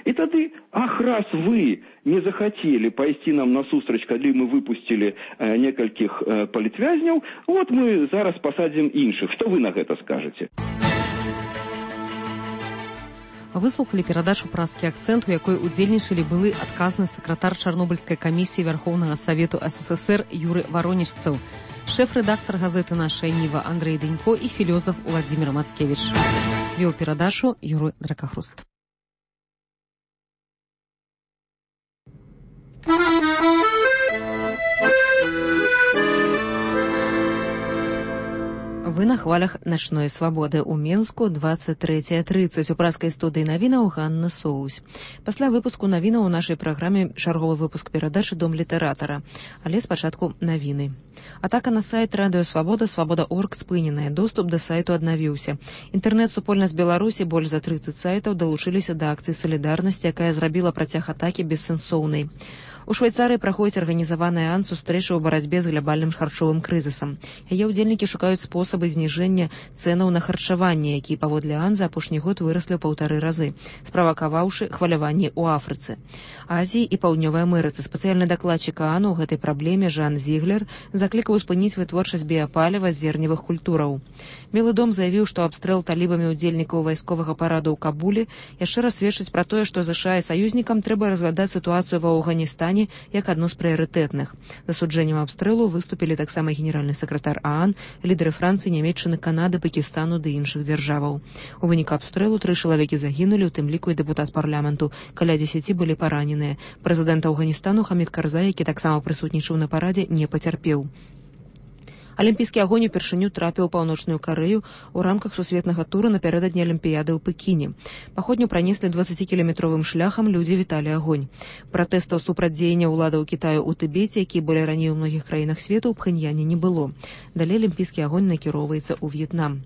S5: І тады, раз вы не захотели пайсці нам насустрач, калі мы выпустили некалькіх палітвязняў, мы зараз пасадзім іншых. Што вы на гэта скажаце?
S2: Выслухалі перадачу «Праскі акцэнт», у якой удзельнічалі былы адказны сакратар Чарнобыльскай камісіі Вярхоўнага Савету СССР Юры Варонежцаў, шэф-рэдактар газеты «Нашая Ніва» Андрэй Дэнько і філёзаф Уладзімір Мацкевіч. Вёў перадачу Юры Дракахруст.
S1: Вы на хвалях начной свабоды ў Менску 23:30 у праскай студыі навінаў Ганна Соусь. Пасля выпуску навінаў у нашай праграме чарговы выпуск перадачы «Дом літаратара». Але спачатку навіны. Атака на сайт Радыё Свабода, Свабода.орг спыненая. Доступ да сайту аднавіўся. Інтэрнэт-супольнасць Беларусі, больш за 30 сайтаў, далучыліся да акцыі салідарнасці, якая зрабіла працяг атакі бессэнсоўнай. У Швейцарыі праходзіць арганізаваная сустрэча ў барацьбе з глябальным харчовым крызісам. Яе ўдзельнікі шукаюць спосабы зніжэння цэнаў на харчаванне, якія паводле за апошні год выраслі ў 1,5 разы, справакаваўшы хваляванні ў Афрыцы. Азіі і Паўднёвай Амерыцы. Спецыяльны дакладчык ААН у гэтай праблеме Жан Зіглер заклікаў спыніць вытворчасць біяпаліва з зерневых культураў. Белы дом заявіў, што абстрэл талібамі ўдзельнікаў вайсковага параду ў Кабуле яшчэ раз сведчыць пра тое, што ЗША і саюзнікам трэба разглядаць сітуацыю ва Афганістане як адну з прыярытэтных. Засуджэннем абстрэлу выступілі таксама генеральны сакратар ААН, лідары Францыі, Нямецчыны, Канады, Пакістану ды іншых дзяржаваў. У выніку абстрэлу 3 чалавекі загінулі, у тым ліку і дэпутат парламенту. Каля 10 былі параненыя. Прэзідэнт Афганістана Хамід Карзай, які таксама прысутнічаў на парадзе, не пацярпеў. Алімпійскі агонь упершыню трапіў у Паўночную Карэю ў рамках сусветнага тура напярэдадні Алімпіяды ў Пекіне. Паходню пранеслі 20-кіламетровым шляхам, людзі віталі агонь. Пратэстаў супраць дзеяння ўладаў Кітаю ў Тыбеце, якія былі раней у многіх краінах свету, ў Пхэньяне не было. Далей алімпійскі агонь накіроўваецца ў В'етнам.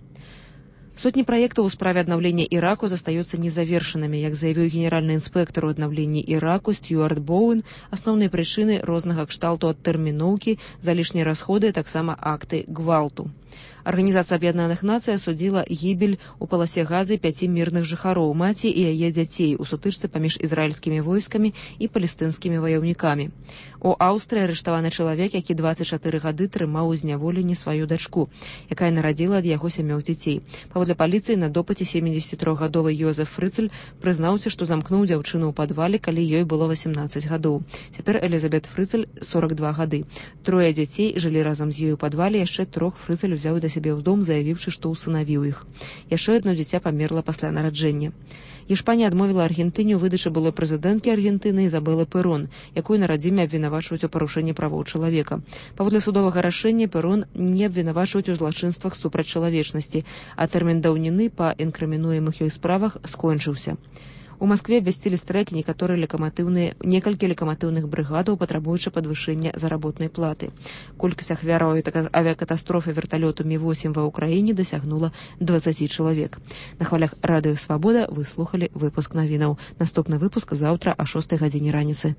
S1: Сотні праектаў у справе аднаўлення Іраку застаюцца незавершанымі, як заявіў генеральны інспектар у аднаўленні Іраку Стюарт Боуэн. Асноўныя прычыны рознага кшталту адтэрміноўкі, залішнія расходы, таксама акты гвалту. Арганізацыя Аб'яднаных Нацый асудзіла гібель у паласе Газы 5 мірных жыхароў, маці і яе дзяцей у сутычцы паміж ізраільскімі войскамі і палестынскімі ваяўнікамі. У Аўстрыі арыштаваны чалавек, які 24 гады трымаў у зняволенні сваю дачку, якая нарадзіла ад яго 7 дзяцей. Паводле паліцыі, на допыце 73-гадовы Йозеф Фрыцель прызнаўся, што замкнуў дзяўчыну ў падвале, калі ёй было 18 гадоў. Цяпер Элізабет Фрыцель 42 гады. 3 дзяцей жылі разам з ёй у падвале, яшчэ 3 Фрыцель узяў да сябе ў дом, заявіўшы, што ўсынавіў іх. Яшчэ одно дзіця памерла пасля нараджэння. Іспанія адмовіла Аргентыне ў выдачы былой прэзідэнткі Аргентыны Ізабелы Перон, якую на радзіме абвінавачваюць у парушэнні правоў чалавека. Паводле судовага рашэння Перон не абвінавачваюць у злачынствах супраць чалавечнасці, а тэрмін даўніны па інкрымінуемых ёй справах скончыўся. У Маскве абвясцілі страйк некалькі лекаматыўных брыгадаў, патрабуючы падвышэння заработнай платы. Колькасць ахвяраў авіякатастрофы верталёту Ми-8 ва ўкраіне дасягнула 20 чалавек. На хвалях Радыё Свабода вы слухалі выпуск навінаў. Наступны выпуск заўтра о 6 гадзіне раніцы.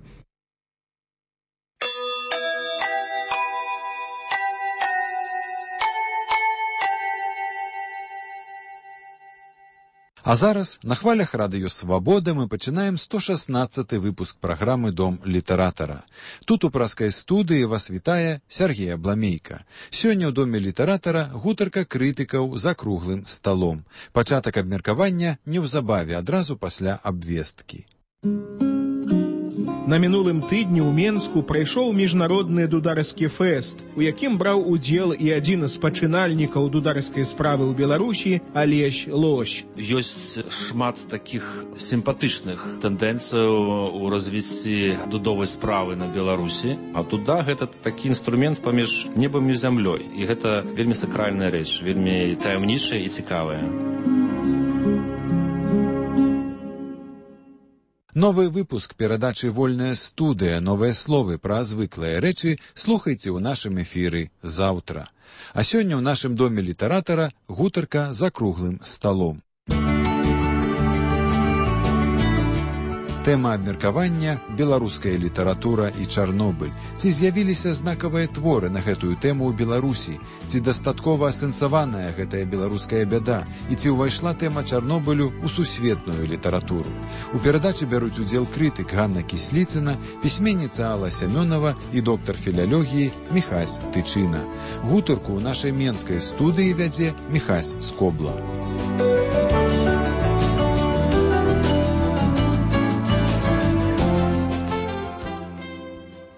S8: А зараз на хвалях Радыё Свабода мы пачынаем 116 выпуск праграмы «Дом літаратара». Тут у праскай студыі вас вітае Сергей Абламейка. Сёння ў Доме літаратара гутарка крытыкаў за круглым сталом. Пачатак абмеркавання неўзабаве, адразу пасля абвесткі.
S9: На мінулым тыдні ў Менску прайшоў міжнародны дударскі фэст, у якім браў удзел і адзін з пачынальнікаў дударскай справы ў Беларусі Алесь Лось.
S10: Ёсць шмат такіх сімпатычных тэндэнцыяў у развіцці дудовай справы на Беларусі, а дуда гэта такі інструмент паміж небам і зямлёй, і гэта вельмі сакральная рэч, вельмі таямнічая і цікавая.
S8: Новы выпуск перадачы «Вольная студыя. Новыя словы пра звыклыя рэчы» слухайце ў нашым эфіры заўтра. А сёння ў нашым Доме літаратара гутарка за круглым сталом. Тэма абмеркавання «Беларуская літаратура і Чарнобыль». Ці з'явіліся знакавыя творы на гэтую тэму ў Беларусі? Ці дастаткова асэнсаваная гэтая беларуская бяда? І ці ўвайшла тэма Чарнобылю ў сусветную літаратуру? У перадачы бяруць удзел крытык Ганна Кісліцына, пісьменніца Алла Сямёнова і доктар філалогіі Міхась Тычына. Гутарку ў нашай менскай студыі вядзе Міхась Скобла.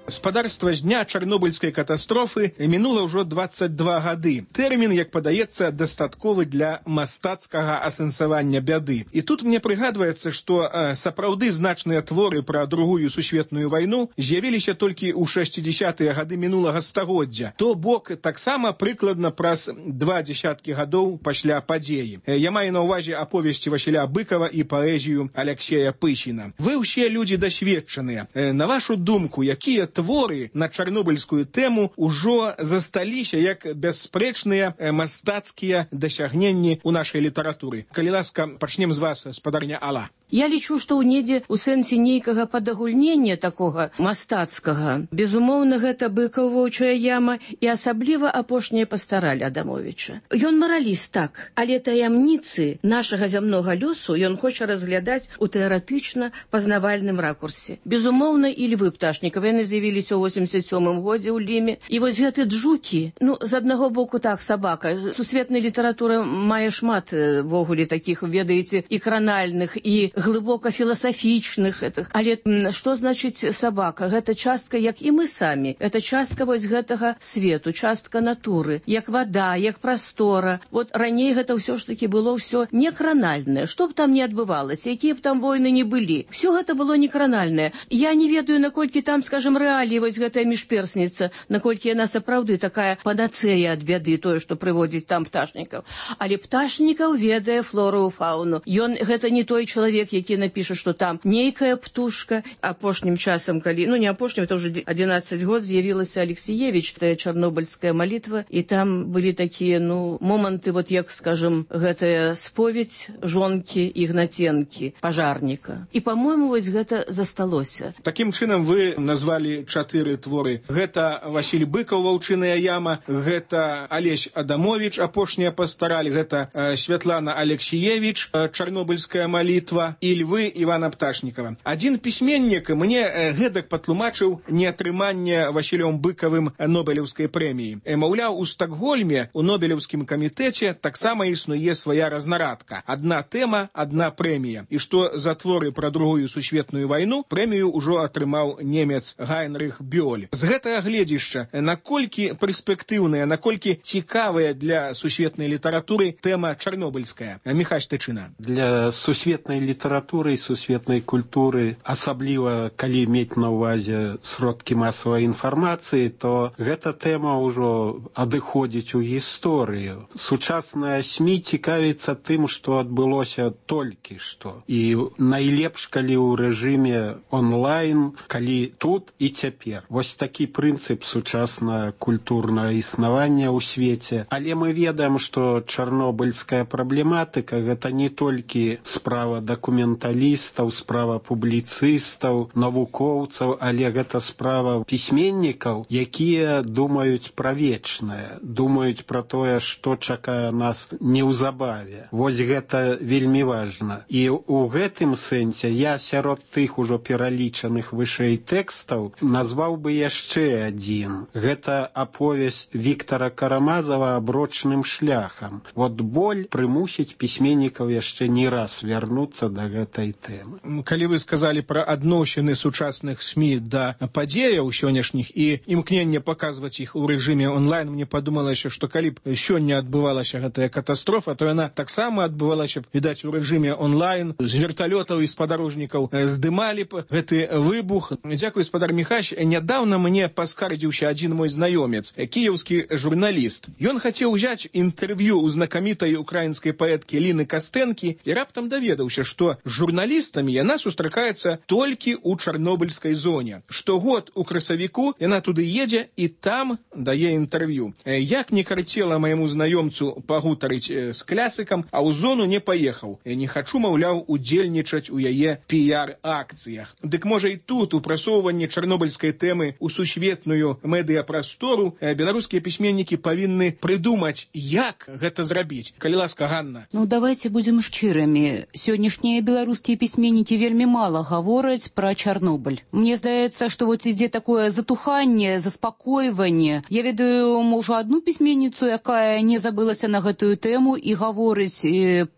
S9: Спадарства з дня чарнобыльскай катастрофы мінула ўжо 22 гады. Тэрмін, як падаецца, дастатковы для мастацкага асэнсавання бяды. І тут мне прыгадваецца, што сапраўды значныя творы пра Другую сусветную вайну з'явіліся толькі ў 60-е гады мінулага стагоддзя. То бок таксама прыкладна праз 20 гадоў пасля падзеі. Я маю на ўвазе аповесці Васіля Быкова і паэзію Аляксея Пыщіна. Вы ўсе людзі дасведчаныя. На вашу думку, якія творы на чарнобыльскую тэму ўжо засталіся як бясспрэчныя мастацкія дасягненні ў нашай літаратуры? Калі ласка, пачнем з вас, спадарня Алла.
S11: Я лічу, што ў недзе ў сэнсе нейкага падагульнення такога мастацкага, безумоўна, гэта Быкаў, Воўчая яма і асабліва апошняя пастараль Адамовіча. Ён мараліст, так, але таямніцы нашага зямнога лёсу ён хоча разглядаць у тэарэтычна-пазнавальным ракурсе. Безумоўна, і львы Пташнікава, яны з'явіліся ў 87-м годзе ў Ліме. І вось гэты джукі, з аднаго боку так, сабака. Сусветная літаратура мае шмат вогуле такіх, ведаеце, і кранальных, і глыбока філасафічных. Але што значыць сабака? Гэта частка, як і мы самі. Гэта частка вось гэтага свету, частка натуры, як вада, як прастора. Вот раней гэта ўсё ж такі было ўсё не кранальнае. Што б там не адбывалася, якія б там войны не былі. Всё гэта было не кранальнае. Я не ведаю, наколькі там, скажем, рэаліі вось гэтая міжперсніца, наколькі яна сапраўды такая панацэя ад бяды, тое, што прыводзіць там Пташнікаў. Але Пташнікаў ведае флору і фауну. Ён гэта не той чалавек, які напіша, што там нейкая птушка. Апошнім часам, калі, не апошнім, это ўжо 11 год з'явілася Алексіевіч, тая чарнобыльская малітва, і там былі такія, моманты, вот як, скажем, гэтая споведь жонкі Ігнаценкі, пажарніка. І, па-мойму, вось гэта засталося.
S9: Такім чынам вы назвалі 4 творы. Гэта Васіль Быкаў, Ваўчыная яма, гэта Алесь Адамовіч, апошняя пастараль, гэта Святлана Алексіевіч, чарнобыльская малітва, і львы Івана Пташнікава. Адзін пісьменнік мне гэтак патлумачыў неатрыманне Васілём Быкавым Нобелеўскай прэміі. Маўляў, у Стакгольме, у Нобелеўскім камітэце таксама існуе свая разнарадка. Адна тэма, адна прэмія. І што за творы пра Другую сусветную вайну прэмію ўжо атрымаў немец Гайнрых Бёль. З гэтага гледзішча, наколькі перспектыўная, наколькі цікавая для сусветнай літаратуры тэма чарнобыльская? Міхась Тычына.
S12: Для сусветнай літаратуры і сусветнай культуры, асабліва калі мець на ўвазе сродкі масавай інфармацыі, то гэта тэма ўжо адыходзіць у гісторыю. Сучасная СМІ цікавіцца тым, што адбылося толькі што. І найлепш, калі ў рэжыме онлайн, калі тут і цяпер. Вось такі прынцып сучаснае культурнае існавання ў свеце. Але мы ведаем, што чарнобыльская праблематыка гэта не толькі справа дакументалістаў, справа публіцыстаў, навукоўцаў, але гэта справа пісьменнікаў, якія думаюць пра вечнае, думаюць пра тое, што чакае нас неўзабаве. Вось гэта вельмі важна. І ў гэтым сэнсе я сярод тых ужо пералічаных вышэй тэкстаў назваў бы яшчэ адзін. Гэта аповесць Віктара Карамазава «Аброчным шляхам». Вот боль прымусіць пісьменнікаў яшчэ не раз вярнуцца да гэтай тэмы.
S9: Калі вы сказалі пра адносіны сучасных СМІ да падзеяў сённяшніх і імкненне паказваць іх у рэжыме онлайн, мне падумалася, што калі б сёння адбывалася гэтая катастрофа, то яна таксама адбывалася б, відаць, у рэжыме онлайн, з верталётаў і спадарожнікаў здымалі б гэты выбух. Дзякуй, спадар Міхась. Нядаўна мне паскардзіўся адзін мой знаёмец, кіеўскі журналіст. Ён хацеў узяць інтэрв'ю ў знакамітай украінскай паэткі Ліны Кастэнкі і раптам даведаўся, што з журналістамі яна сустракаецца толькі ў чарнобыльскай зоне. Штогод у красавіку яна туды едзе і там дае інтэрв'ю. Як не карцела майму знаёмцу пагутарыць з клясыкам, а ў зону не паехаў. Не хачу, маўляў, удзельнічаць у яе піяр-акцыях. Дык можа і тут у прасоўванні чарнобыльскай тэмы ў сусветную медыяпрастору беларускія пісьменнікі павінны прыдумаць, як гэта зрабіць. Калі ласка, Ганна.
S13: Давайте будем шчырымі. Сённяшняя беларускія пісьменнікі вельмі мала гавораць пра Чарнобыль. Мне здаецца, што вот ідзе такое затуханне, заспакойванне. Я ведаю, можа, одну пісьменніцу, якая не забылася на гэтую тэму і гаворыць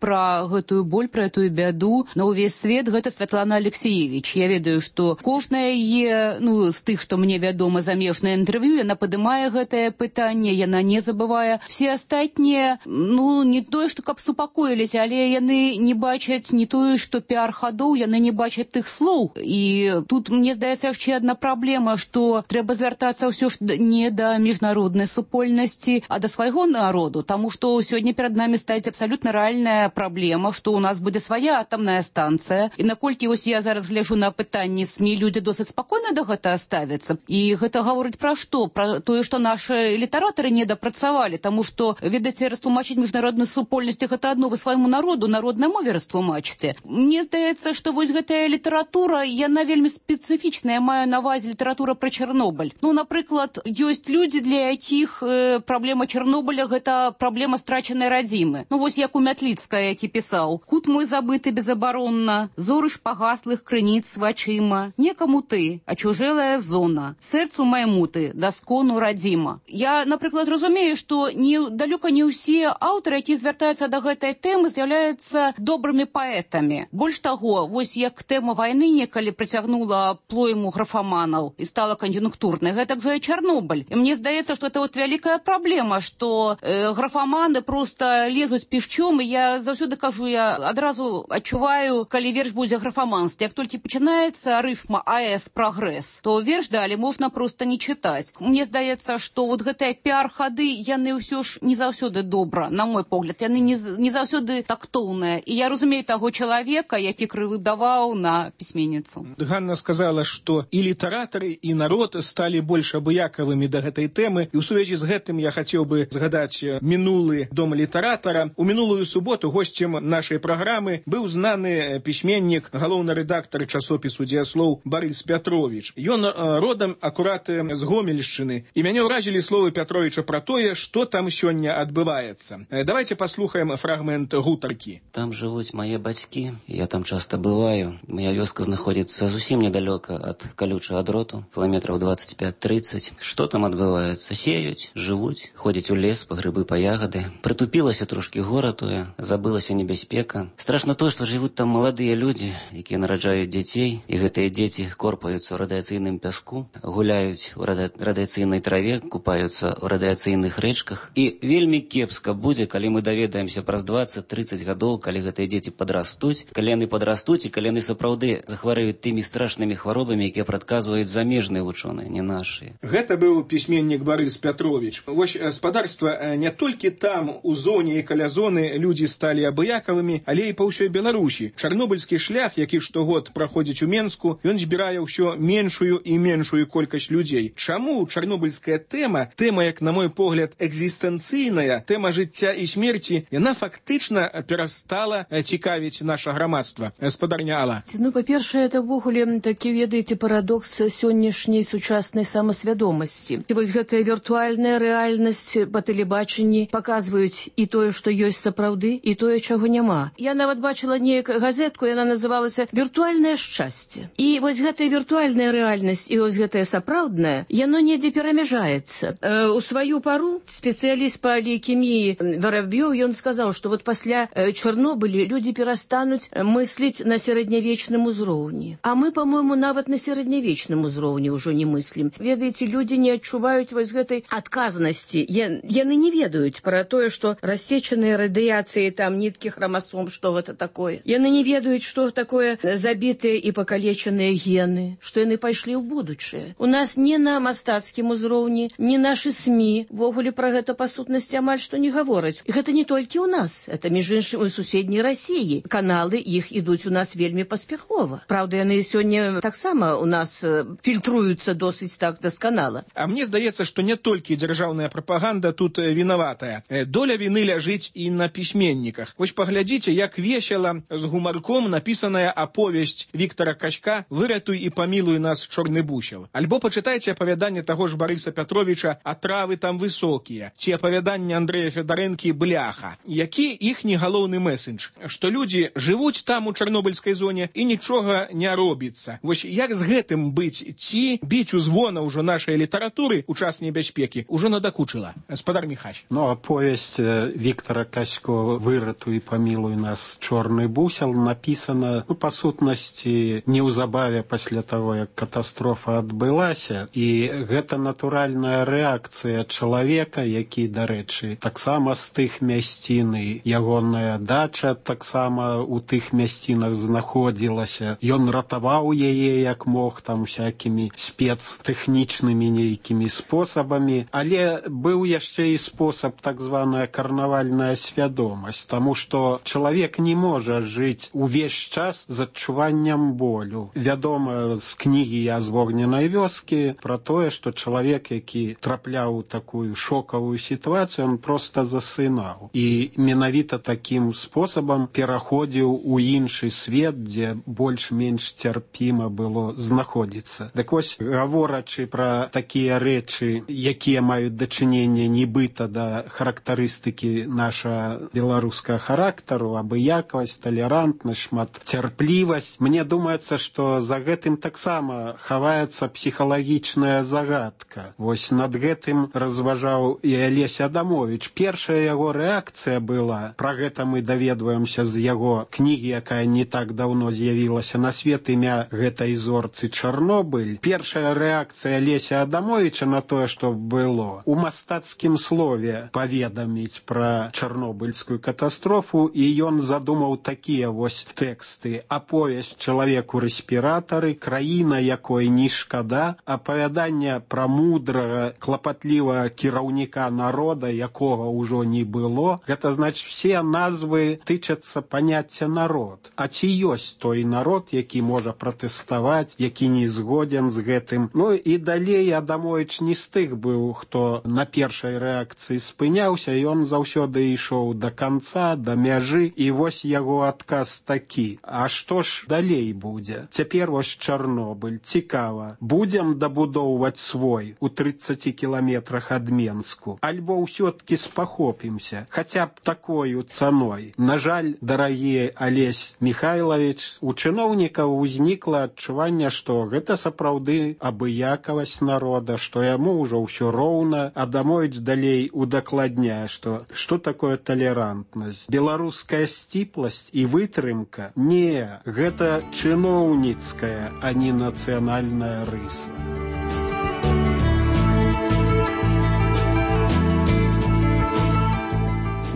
S13: пра гэтую боль, пра этую бяду на ўвесь свет, гэта Святлана Алексеевич. Я ведаю, што кожная яе, з тых, што мне вядома, замежнае інтэрв'ю, яна падымае гэтае пытанне, яна не забывае. Все астатнія, не тое, што каб супакоіліся, але яны не бачаць не тое, што піар-хадоў, яны не бачаць тых слоў. І тут, мне здаецца, яшчэ адна праблема, што трэба звяртацца ўсё ж не да міжнароднай супольнасці, а да свайго народу, таму што сёння перад намі стаіць абсалютна рэальная праблема, што ў нас будзе свая атамная станцыя. І наколькі вось я зараз гляжу на пытанні СМІ, людзі досыць спакойна да гэтага ставяцца. І гэта гаворыць пра што? Пра тое, што нашы літаратары недапрацавалі, таму што, ведаеце, растлумачыць міжнароднай супольнасці гэта адно, вы свайму народу, народнай мове растлумачыце. Мне здаецца, што вось гэтая літаратура, яна вельмі спецыфічная, я маю на ўвазе літаратура пра Чарнобыль. Напрыклад, ёсць людзі, для якіх праблема Чарнобыля гэта праблема страчанай радзімы. Вось як у Мятліцкая, які пісаў: «Кут мой забыты безабаронна, зоры шпагаслых крыніц вачыма, некаму ты, а чужэлая зона, сэрцу майму ты, даскону радзіма». Я, напрыклад, разумею, што далёка не ўсе аўтары, якія звяртаюцца да гэтай тэмы, з'яўляюцца добрымі паэтамі. Больш таго, вось як тэма вайны некалі прыцягнула плойму графаманаў і стала кан'юнктурнай, гэтак жа і Чарнобыль. І мне здаецца, што это вялікая праблема, што графаманы проста лезуць пішчом, і я заўсёды кажу, я адразу адчуваю, калі верш будзе графаманстве. Як толькі пачынаецца рыфма АЭС прагрэс, то верш далі можна проста не чытаць. Мне здаецца, што вот гэтыя піар-хады, яны ўсё ж не заўсёды добра, на мой погляд, яны не заўсёды тактоўныя. І я разумею таго чалавека, які крывыдаваў на пісьменніцу.
S9: Ганна сказала, што і літаратары, і народ сталі больш абыякавымі да гэтай тэмы. І ў сувязі з гэтым я хацеў бы згадаць мінулы дом літаратара. У мінулую суботу госцем нашай праграмы быў знаны пісьменнік, галоўны рэдактар часопісу «Дзеяслоў» Барыс Пятровіч. Ён родам акурат з Гомельшчыны. І мяне ўразілі словы Пятровіча пра тое, што там сёння адбываецца. Давайте паслухаем фрагмент гутаркі.
S14: Там жывуць мае бацькі, я там часта бываю. Моя вёска знаходзіцца зусім недалёка ад калючага дроту, кіламетраў 25-30. Што там адбываецца? Сеюць, жывуць, ходзяць у лес па грыбы, па ягады. Прытупілася трошкі гора тое, забылася небяспека. Страшна тое, што жывуць там маладыя людзі, якія нараджаюць дзяцей, і гэтыя дзеці корпаюцца ў радыяцыйным пяску, гуляюць у радыяцыйнай траве, купаюцца ў радыяцыйных рэчках. І вельмі кепска будзе, калі мы даведаемся праз 20-30 гадоў, калі гэтыя дзеці падрастуць, калі яны падрастуць і калі яны сапраўды захварэюць тымі страшнымі хваробамі, якія прадказваюць замежныя вучоныя, не нашыя.
S9: Гэта быў пісьменнік Барыс Пятровіч. Вось спадарства не толькі там, у зоне і каля зоны, людзі сталі абыякавымі, але і па ўсёй Беларусі. Чарнобыльскі шлях, які штогод праходзіць у Менску, ён збірае ўсё меншую і меншую колькасць людзей. Чаму чарнобыльская тэма, як на мой погляд, экзістэнцыйная, тэма жыцця і смерці, яна фактычна перастала цікавіць наша грамадства? Спадарня Алла.
S11: Па-першае, это ўвогуле такі, ведаеце, парадокс сённяшняй сучаснай самасвядомасці. Вось гэтая віртуальная рэальнасць па тэлебачанні паказваюць і тое, што ёсць сапраўды, і тое, чаго няма. Я нават бачыла неяк газетку, яна называлася «Віртуальнае шчасце». І вось гэтая віртуальная рэальнасць і вось гэтая сапраўдная, яно недзе перамяжаецца. У сваю пару спецыяліст па лейкеміі Вараб'ёў, ён сказаў, што вот пасля Чарнобыля людзі перастануць мысліць на сярэднявечным узроўні. А мы, по-моему, нават на сярэднявечным узроўні ўжо не мыслім. Ведаеце, людзі не адчуваюць вось гэтай адказнасці. Яны не ведаюць пра тое, што рассечаныя радыяцыі, там ніткі храмасом, што гэта такое. Яны не ведаюць, што такое забітыя і пакалечаныя гены, што яны пайшлі ў будучае. У нас не на мастацкім узроўні, не нашы СМІ ввогуле пра гэта па сутнасці амаль што не гавораць. І гэта не толькі ў нас, это між іншым у суседняй Расіі. Каналы іх ідуць у нас вельмі паспяхова. Праўда, яны сёння таксама у нас фільтруюцца досыць так дасканала.
S9: А мне здаецца, што не толькі дзяржаўная прапаганда тут вінаватая. Доля віны ляжыць і на пісьменніках. Вось паглядзіце, як весела з гумарком напісаная аповесць Віктара Качка «Выратуй і памілуй нас, чорны бусел». Альбо пачытайце апавяданне таго ж Барыса Пятровіча «А травы там высокія», ці апавяданне Андрэя Федарэнкі «Бляха». Які іхні галоўны месседж? Што людзі жывуць жывуць там у чарнобыльскай зоне і нічога не робіцца. Вось як з гэтым быць? Ці біць у звона ўжо нашай літаратуры у час небяспекі ўжо надакучыла? Гаспадар Міхась.
S12: Ну, а повесть Виктора Касько «Выратуй и помилуй нас, чорный бусел» написана, по сутнасці, неўзабаве пасля того, як катастрофа адбылася. І гэта натуральная рэакцыя чалавека, які, дарэчы, таксама з тых мясцін, і ягоная дача таксама у тых мясцінах знаходзілася. Ён ратаваў яе як мог, там всякімі спецтэхнічнымі нейкімі спосабамі, але быў яшчэ і спосаб так званая карнавальная свядомасць, таму што чалавек не можа жыць увесь час з адчуваннем болю. Вядома з кнігі «Я з вогненай вёскі» пра тое, што чалавек, які трапляў у такую шокавую сітуацыю, он проста засынаў. І менавіта такім спосабам пераходзіў у іншы свет, дзе больш-менш цярпіма было знаходзіцца. Так вось, гаворачы пра такія рэчы, якія маюць дачыненне нібыта да характарыстыкі наша беларускага характару, абыякавасць, талерантнасць, шматцярплівасць, мне думаецца, што за гэтым таксама хаваецца псіхалагічная загадка. Вось над гэтым разважаў і Алесь Адамович. Першая яго рэакцыя была, пра гэта мы даведваемся з яго кнігі, якая не так даўно з'явілася на свет, імя гэтай зорцы Чарнобыль. Першая рэакцыя Алеся Адамовича на тое, што было, у мастацкім слове паведаміць пра чарнобыльскую катастрофу, і ён задумаў такія вось тэксты. Аповесць «Чалавек у рэспіратары», краіна, якой не шкада, апавяданне пра мудрага, клапатлівага кіраўніка народа, якога ўжо не было. Гэта значыць, все назвы тычацца паняцця народ. А ці ёсць той народ, які можа пратэставаць, які не згоден з гэтым? Ну і далей Адамович не з тых быў, хто на першай рэакцыі спыняўся, ён заўсёды ішоў да канца, да мяжы, і вось яго адказ такі. А што ж далей будзе? Цяпер вось Чарнобыль. Цікава. Будзем дабудоўваць свой у 30 кіламетрах ад Менску? Альбо ўсё-ткі спахопімся, хаця б такою цаной? На жаль, дарагі Алесь Михайлович, у чыноўнікаў узнікла адчуванне, што гэта сапраўды абыякавасць народа, што яму ўжо ўсё роўна. Адамович далей удакладняе, што такое талерантнасць. Беларуская сціпласць і вытрымка? Не, гэта чыноўніцкая, а не нацыянальная рыса.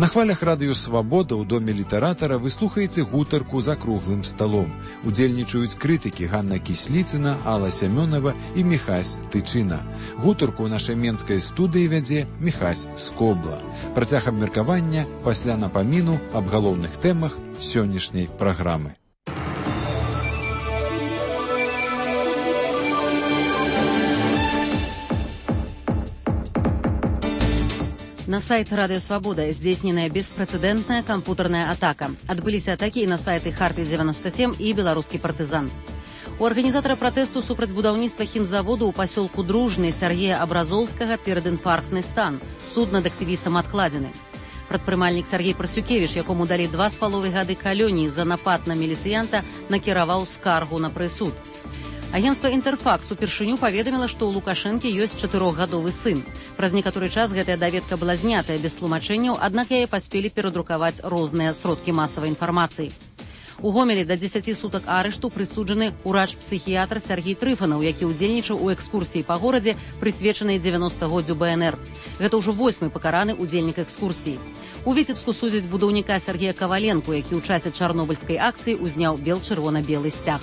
S8: На хвалях радыё «Свабода» ў доме літаратара вы слухаеце гутарку за круглым сталом. Удзельнічаюць крытыкі Ганна Кісліцына, Алла Сямёнова і Міхась Тычына. Гутарку ў нашай менскай студыі вядзе Міхась Скобла. Працяг абмеркавання пасля напаміну аб галоўных тэмах сённяшняй праграмы.
S7: На сайт Радио Свобода здзейсненая беспрэцэдэнтная кампутарная атака. Адбыліся атакі і на сайты Харты-97 і Беларускі партызан. У арганізатара пратэсту супраць будаўніцтва хімзаводу ў пасёлку Дружны Сергея Абразоўскага перадінфарктны стан. Суд над актывістам адкладзены. Прадпрымальнік Сергей Прасюкевіч, якому далі 2,5 гады калоніі за напад на міліцыянта, накіраваў скаргу на прысуд. Агентства «Інтэрфакс» упершыню паведаміла, што ў Лукашэнкі ёсць 4-гадовы сын. Праз некаторы час гэтая даведка была знятая без тлумачэнняў, аднак яе паспелі перадрукаваць розныя сродкі масавай інфармацыі. У Гомелі да 10 сутак арышту прысуджаны урач-псіхіятр Сергей Трыфанаў, які ўдзельнічаў у экскурсіі па горадзе, прысвечанай 90-годдзю БНР. Гэта ўжо 8-й пакараны удзельнік экскурсіі. У Віцебску судзяць будаўніка Сергея Каваленку, які ў часе чарнобыльскай акцыі узняў бел-чырвона-белы сцяг.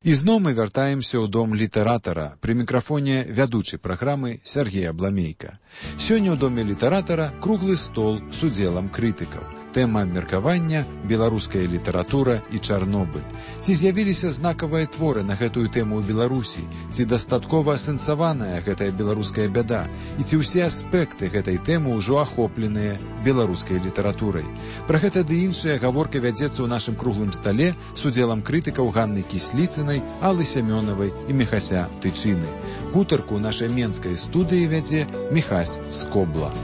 S8: І зноў мы вяртаемся ў дом літаратара. Пры мікрафоне вядучы праграмы Сергей Абламейка. Сёння ў доме літаратара круглы стол з удзелам крытыкаў. Тэма абмеркавання – беларуская літаратура і Чарнобыль. Ці з'явіліся знакавыя творы на гэтую тэму ў Беларусі? Ці дастаткова асэнсаваная гэтая беларуская бяда? І ці ўсе аспекты гэтай тэмы ўжо ахопленыя беларускай літаратурай? Пра гэта ды іншая гаворка вядзецца ў нашым круглым стале з удзелам крытыкаў Ганны Кісліцынай, Аллы Сямёнавай і Міхася Тычыны. Гутарку ў нашай менскай студыі вядзе Міхась Скобла.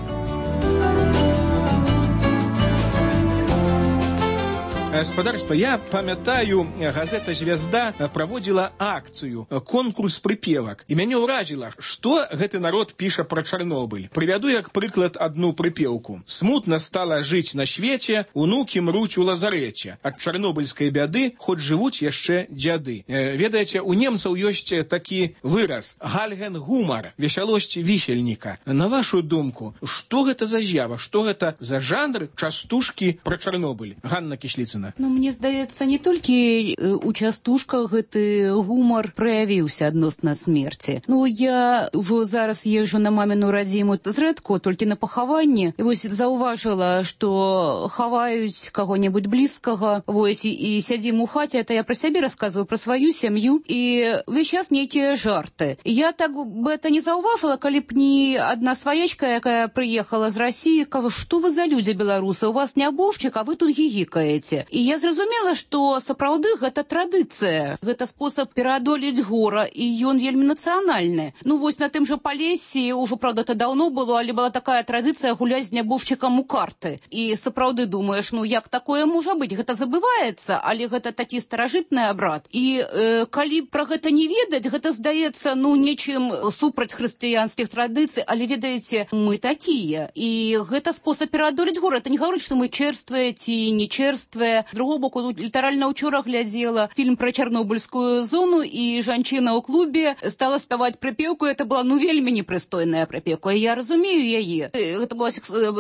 S9: Спадарства, я памятаю, газета «Звезда» праводзіла акцыю, конкурс прыпевак. І мяне ўражыла, што гэты народ піша пра Чарнобыль. Прывяду як прыклад адну прыпеўку. «Смутна стала жыць на свеце, унукі мруць у лазарэце. Ад чарнобыльскай бяды хоць жывуць яшчэ дзяды». Ведаеце, у немцаў ёсць такі выраз «гальген-гумар», весялосць вісельніка. На вашу думку, што гэта за з'ява, што гэта за жанр частушкі пра Чарнобыль? Ганна Кісліцына.
S13: Ну, мне здаецца, не толькі у частушках гэты гумар праявіўся адносна смерці. Ну, я ўжо зараз езжу на маміну радзіму зрэдку, толькі на пахаванне. І вось заўважыла, што хаваюць каго-небудзь блізкага, вось, і сядзім у хаце, это я пра сябе расказваю, пра сваю сям'ю, і ўвесь час нейкія жарты. Я так бы это не заўважыла, калі б не адна сваячка, якая прыехала з Расіі, кажа, што вы за людзі беларусы, у вас нябожчык, а вы тут гігікаеце. І я зразумела, што сапраўды гэта традыцыя, гэта спосаб пераадолець гора, і ён вельмі нацыянальны. Ну вось на тым жа Палесе, ўжо, правда, это даўно было, але была такая традыцыя гуляць з нябожчыкам у карты. І сапраўды думаеш, ну як такое можа быць? Гэта забываецца, але гэта такі старажытны абрад. І калі пра гэта не ведаць, гэта здаецца, ну, нечым супраць хрысціянскіх традыцый, але ведаеце, мы такія. І гэта спосаб пераадолець гора. Это не гаворыць, што мы чэрствыя ці не чэрствыя. З другого боку, літаральна ўчора глядзела фільм пра чарнобыльскую зону, і жанчына ў клубе стала спяваць прыпеўку. Это была, ну, вельмі непрыстойная прыпеўка. Я разумею яе. Гэта была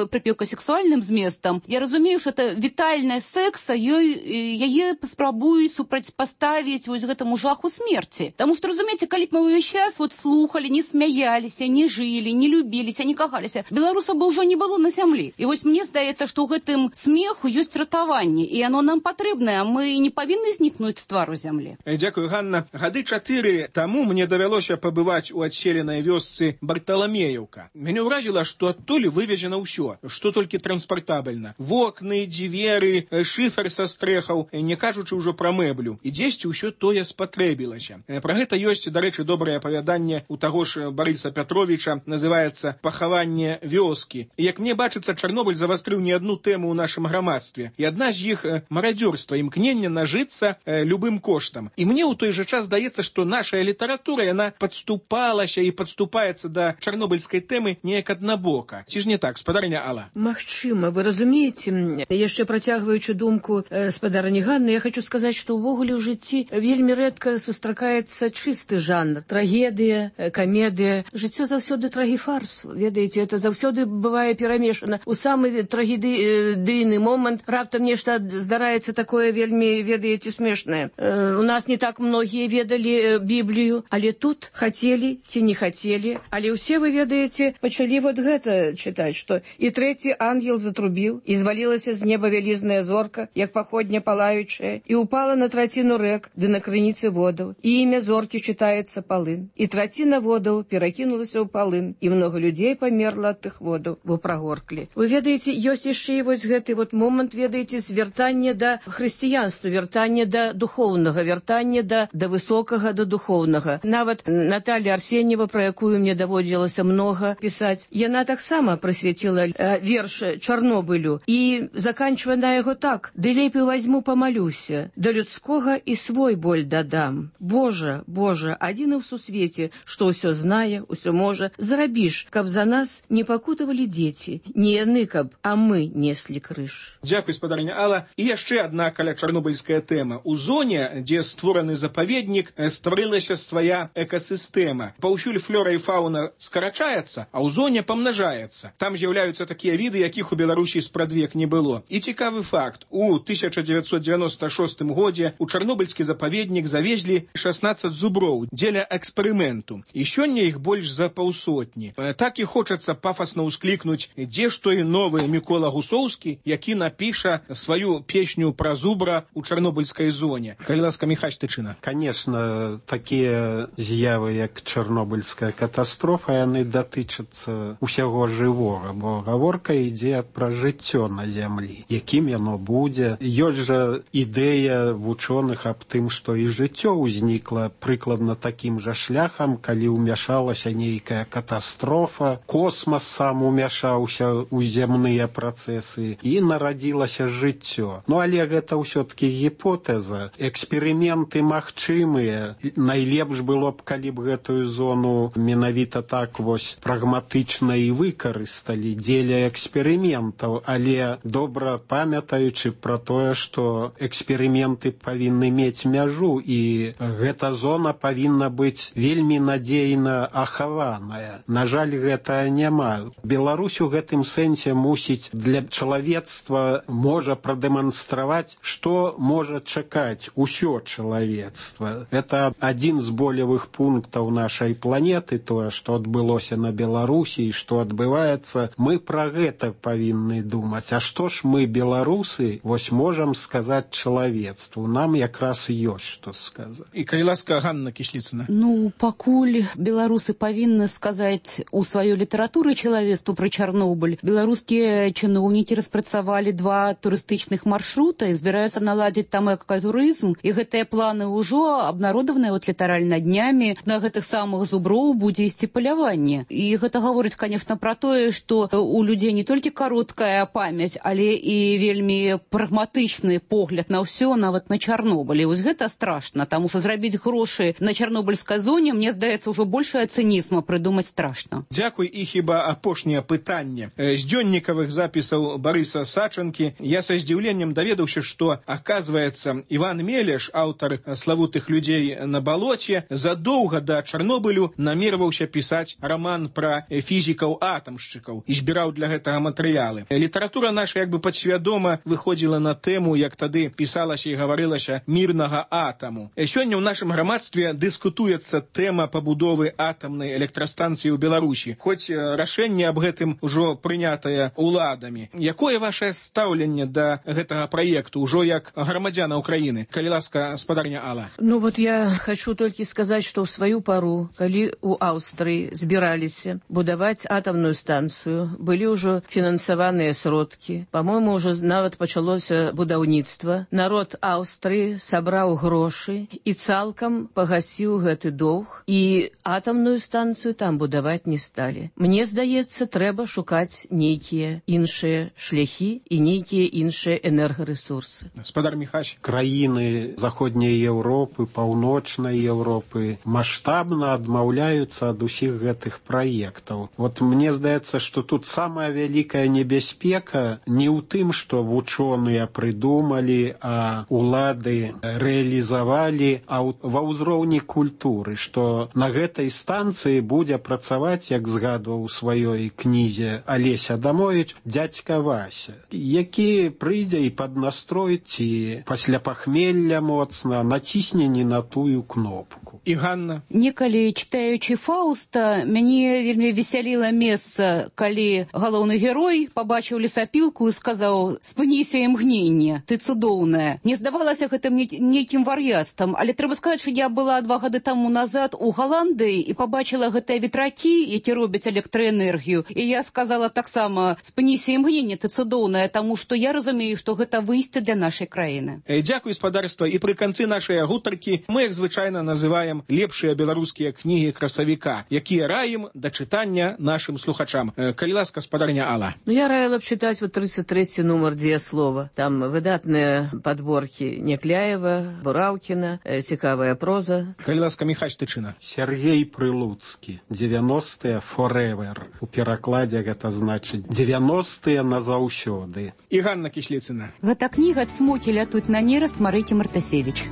S13: прыпеўка сексуальным зместам. Я разумею, што это вітальная секса, яе спрабуюць супрацьпаставіць вось гэтаму жаху смерці. Таму што, разумееце, калі б мы ўвесь час вот слухалі, не смяяліся, не жылі, не любіліся, не кахаліся, беларусаў бы ўжо не было на зямлі. І вось мне здаецца, што ў гэтым смеху ёсць ратаванне, і оно нам патрэбнае, мы не павінны знікнуць з твару зямлі.
S9: Дзякую, Ганна. Гады 4 таму мне давялося пабываць у адселенай вёсцы Барталамеевка. Мяне ўразіла, што адтуль вывезена ўсё, што толькі транспартабельна. Вокны, дзверы, шыфер са стрэхаў, не кажучы ўжо пра мэблю. І дзесьці ўсё тое спатрэбілася. Пра гэта ёсць, дарэчы, добрае апавяданне у таго ж Барыса Пятровіча, называецца «Пахаванне вёскі». І як мне бачыцца, Чарнобыль завастрыў не адну тэму ў нашым грамадстве. І адна з іх марадзёрства, імкнення нажыцца любым коштам. І мне ў той жа час здаецца, што наша літаратура, яна падступалася і падступаецца да чарнобыльскай тэмы неяк аднабока. Ці ж не так, спадарня Алла?
S11: Магчыма, вы разумееце, яшчэ працягваючы думку спадарні Ганны, я хочу сказаць, што ўвогуле ў жыцці вельмі рэдка сустракаецца чысты жанр. Трагедыя, камедыя. Жыццё заўсёды трагіфарс. Ведаеце, это заўсёды бывае перамешана. У самы трагедыйны момант раптам нешта здараецца такое вельмі, ведаеце, смешнае. У нас не так многія ведалі Біблію, але тут хацелі ці не хацелі, але ўсе, вы ведаеце, пачалі вот гэта чытаць, што і трэці ангел затрубіў, і звалілася з неба вялізная зорка, як паходня палаючая, і упала на траціну рэк, ды на крыніцы водаў, і імя зоркі чытаецца Палын. І траціна водаў перакінулася ў Палын, і много людзей памерла ад тых водаў, бо прагорклі. Вы ведаеце, ёсць яшчэ і вось гэты вот момант, ведаеце, звяртання да хрысціянства, вяртання да духоўнага, вяртання да высокага, да духоўнага. Нават Наталья Арсеньева, пра якую мне даводзілася многа пісаць, яна таксама прысвяціла верш Чарнобылю і заканчвае на яго так: «Ды лепей возьму памалюся, да людскога і свой боль дадам. Божа, Божа, адзіны ў сусвеце, што ўсё знае, ўсё можа, зрабіш, каб за нас не пакутавалі дзеці, не яны, каб, а мы неслі крыж».
S9: Дзякуй, спадарня Алла. І яшчэ адна каля чарнобыльская тэма. У зоне, дзе створаны запаведнік, стварылася свая экасістэма. Паўсюль флора і фауна скарачаецца, а ў зоне памнажаецца. Там з'яўляюцца такія віды, якіх у Беларусі спрадвек не было. І цікавы факт. У 1996 годзе у чарнобыльскі запаведнік завезлі 16 зуброў дзеля эксперыменту. І сёння іх больш за паўсотні. Так і хочацца пафасна ўсклікнуць, дзе ж той новы Мікола Гусоўскі, які напіша сваю песню пра зубра у чарнобыльскай зоне. Калі ласка, Міхась Тычына.
S12: Конечно, такія з'явы, як чарнобыльская катастрофа, яны датычацца ўсяго жывога, бо гаворка ідзе пра жыццё на зямлі. Якім яно будзе? Ёсць жа ідэя вучоных аб тым, што і жыццё ўзнікла прыкладна такім жа шляхам, калі ўмяшалася нейкая катастрофа, космас сам умяшаўся ў зямныя працэсы і нарадзілася жыццё. ўсё. Ну, але гэта ўсё-таки гіпотэза. Эксперыменты магчымыя. Найлепш было б, калі б гэтую зону менавіта так вось прагматычна і выкарысталі дзеля эксперыментаў, але добра памятаючы пра тое, што эксперыменты павінны мець мяжу, і гэта зона павінна быць вельмі надзейна ахаваная. На жаль, гэта няма. Беларусь у гэтым сэнсе мусіць для чалавецтва можа прадэманстраваць, што можа чакаць усё чалавецтва. Это адзін з болевых пунктаў нашай планеты, тое, што адбылося на Беларусі і што адбываецца. Мы пра гэта павінны думаць. А што ж мы, беларусы, вось можам сказаць чалавецтву? Нам якраз ёсць што сказаць.
S9: І калі ласка, Ганна Кісліцына.
S13: Ну, пакуль беларусы павінны сказаць у сваёй літаратуры чалавецтву пра Чарнобыль, беларускія чыноўнікі распрацавалі 2 турыстычных маршрута і збіраюцца наладзіць там экатурызм, і гэтыя планы ўжо абнародаваныя вот літаральна днямі. На гэтых самых зуброў будзе ісці паляванне. І гэта гаворыць, конечно, пра тое, што у людзей не толькі кароткая памяць, але і вельмі прагматычны погляд на ўсё, нават на Чарнобыль. І вось гэта страшна, таму што зрабіць грошы на чарнобыльскай зоне, мне здаецца, ўжо большая цынізма прыдумаць страшна.
S9: Дзякуй. І хіба апошняе пытанне. З дзённікавых запісаў Барыса Сачанкі я са здзіўленнем даведаўся, што, аказваецца, Іван Мелеш, аўтар славутых людзей на балоце, задоўга да Чарнобылю намерваўся пісаць раман пра фізікаў-атамшчыкаў і збіраў для гэтага матэрыялы. Літаратура наша як бы падсвядома выходзіла на тэму, як тады пісалася і гаварылася, мірнага атаму. Сёння ў нашым грамадстве дыскутуецца тэма пабудовы атамнай электрастанцыі ў Беларусі, хоць рашэнне аб гэтым ужо прынятае ўладамі. Якое вашае стаўленне да гэтага праекту, ужо як грамадзяна Украіны? Калі ласка, спадарня Алла.
S11: Ну вот я хочу только сказать, что в свою пору, калі у Аўстрыі збіраліся будаваць атамную станцыю, былі ўжо фінансаваныя сродкі. По-моему, уже нават пачалося будаўніцтва. Народ Аўстрыі сабраў грошы і цалкам пагасіў гэты доўг, і атамную станцыю там будаваць не сталі. Мне здаецца, трэба шукаць нейкія іншыя шляхі і нейкія іншыя энергарэсурсы.
S9: Спадар Міхась.
S12: Краіны заходняй Еўропы, паўночнай Еўропы маштабна адмаўляюцца ад усіх гэтых праектаў. Вот мне здаецца, што тут самая вялікая небяспека не ў тым, што вучоныя прыдумалі, а улады рэалізавалі, а ва ўзроўні культуры, што на гэтай станцыі будзе працаваць, як згадваў у сваёй кнізе Алесь Адамович, дзядзька Вася, які прыйдзе і паднастроіць ці пасля пахмелля моцна націсне не на тую кнопку.
S9: І Ганна.
S13: Некалі, читаючы Фауста, мяне вельмі весяліла месца, калі галоўны герой пабачыў лесапілку і сказаў: «Спыніся імгненне, ты цудоўная». Не здавалася гэтым нейкім вар'яцтвам, але трэба сказаць, што я была 2 гады таму назад у Галандыі і пабачыла гэтыя ветракі, які робяць электраэнергію, і я сказала таксама: «Спыніся імгненне, ты цудоўная», таму што я разумею, што гэта выйсце для нашай краіны.
S9: Дзякуй, спадарства. І пры канцы нашай гутаркі мы, як звычайна, называем лепшыя беларускія кнігі красавіка, якія раім да чытання нашым слухачам. Калі ласка, спадарня Алла.
S11: Ну, я раіла б чытаць вот 33-й нумар «Дзеяслова». Там выдатныя падборкі Някляева, Бураўкіна, цікавая проза.
S9: Калі ласка, Міхась Тычына.
S12: Сергей Прылуцкі. 90-е forever. У перакладзе гэта значыць 90-е назаўсёды.
S9: І Ганна Кісліцына.
S13: Гэта кніга «Цмокі лятуць на нераст» Марыкі Мартасевіч.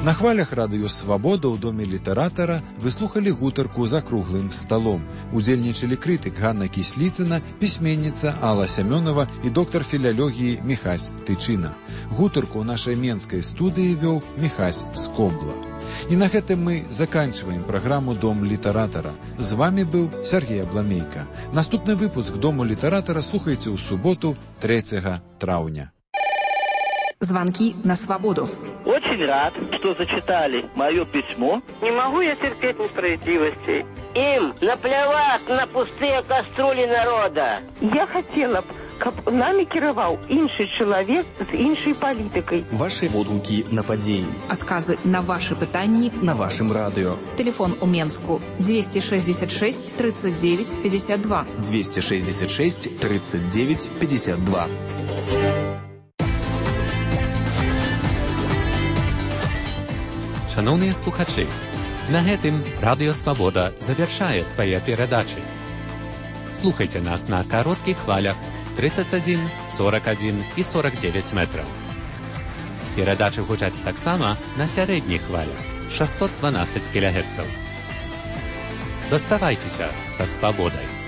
S8: На хвалях радыё «Свабода» ў доме літаратара вы слухалі гутарку за круглым сталом. Удзельнічалі крытык Ганна Кісліцына, пісьменніца Алла Сямёнова і доктар філалогіі Міхась Тычына. Гутарку ў нашай менскай студыі вёў Міхась Скобла. І на гэтым мы заканчиваем праграму «Дом літаратара». З вами быў Сергей Абламейка. Наступны выпуск «Дому літаратара» слухайце ў суботу 3 траўня.
S15: Звонки на свободу.
S16: Очень рад, что зачитали мое письмо.
S17: Не могу я терпеть несправедливости. Им наплевать на пустые кастрюли народа.
S18: Я хотела бы
S17: каб намі кіраваў іншы чалавек з іншай палітыкай.
S18: Ваши водгукі на падзеі.
S15: Адказы на ваши пытанні
S18: на вашым радыё.
S15: Телефон у Менску 266 39 52.
S18: 266 39 52.
S19: Шановныя слухачы, на гэтым Радыё Свабода завяршае свае перадачы. Слухайце нас на кароткіх хвалях 31, 41 і 49 метраў. Перадачы гучаць таксама на сярэдніх хвалях 612 кГц. Заставайцеся са свабодай.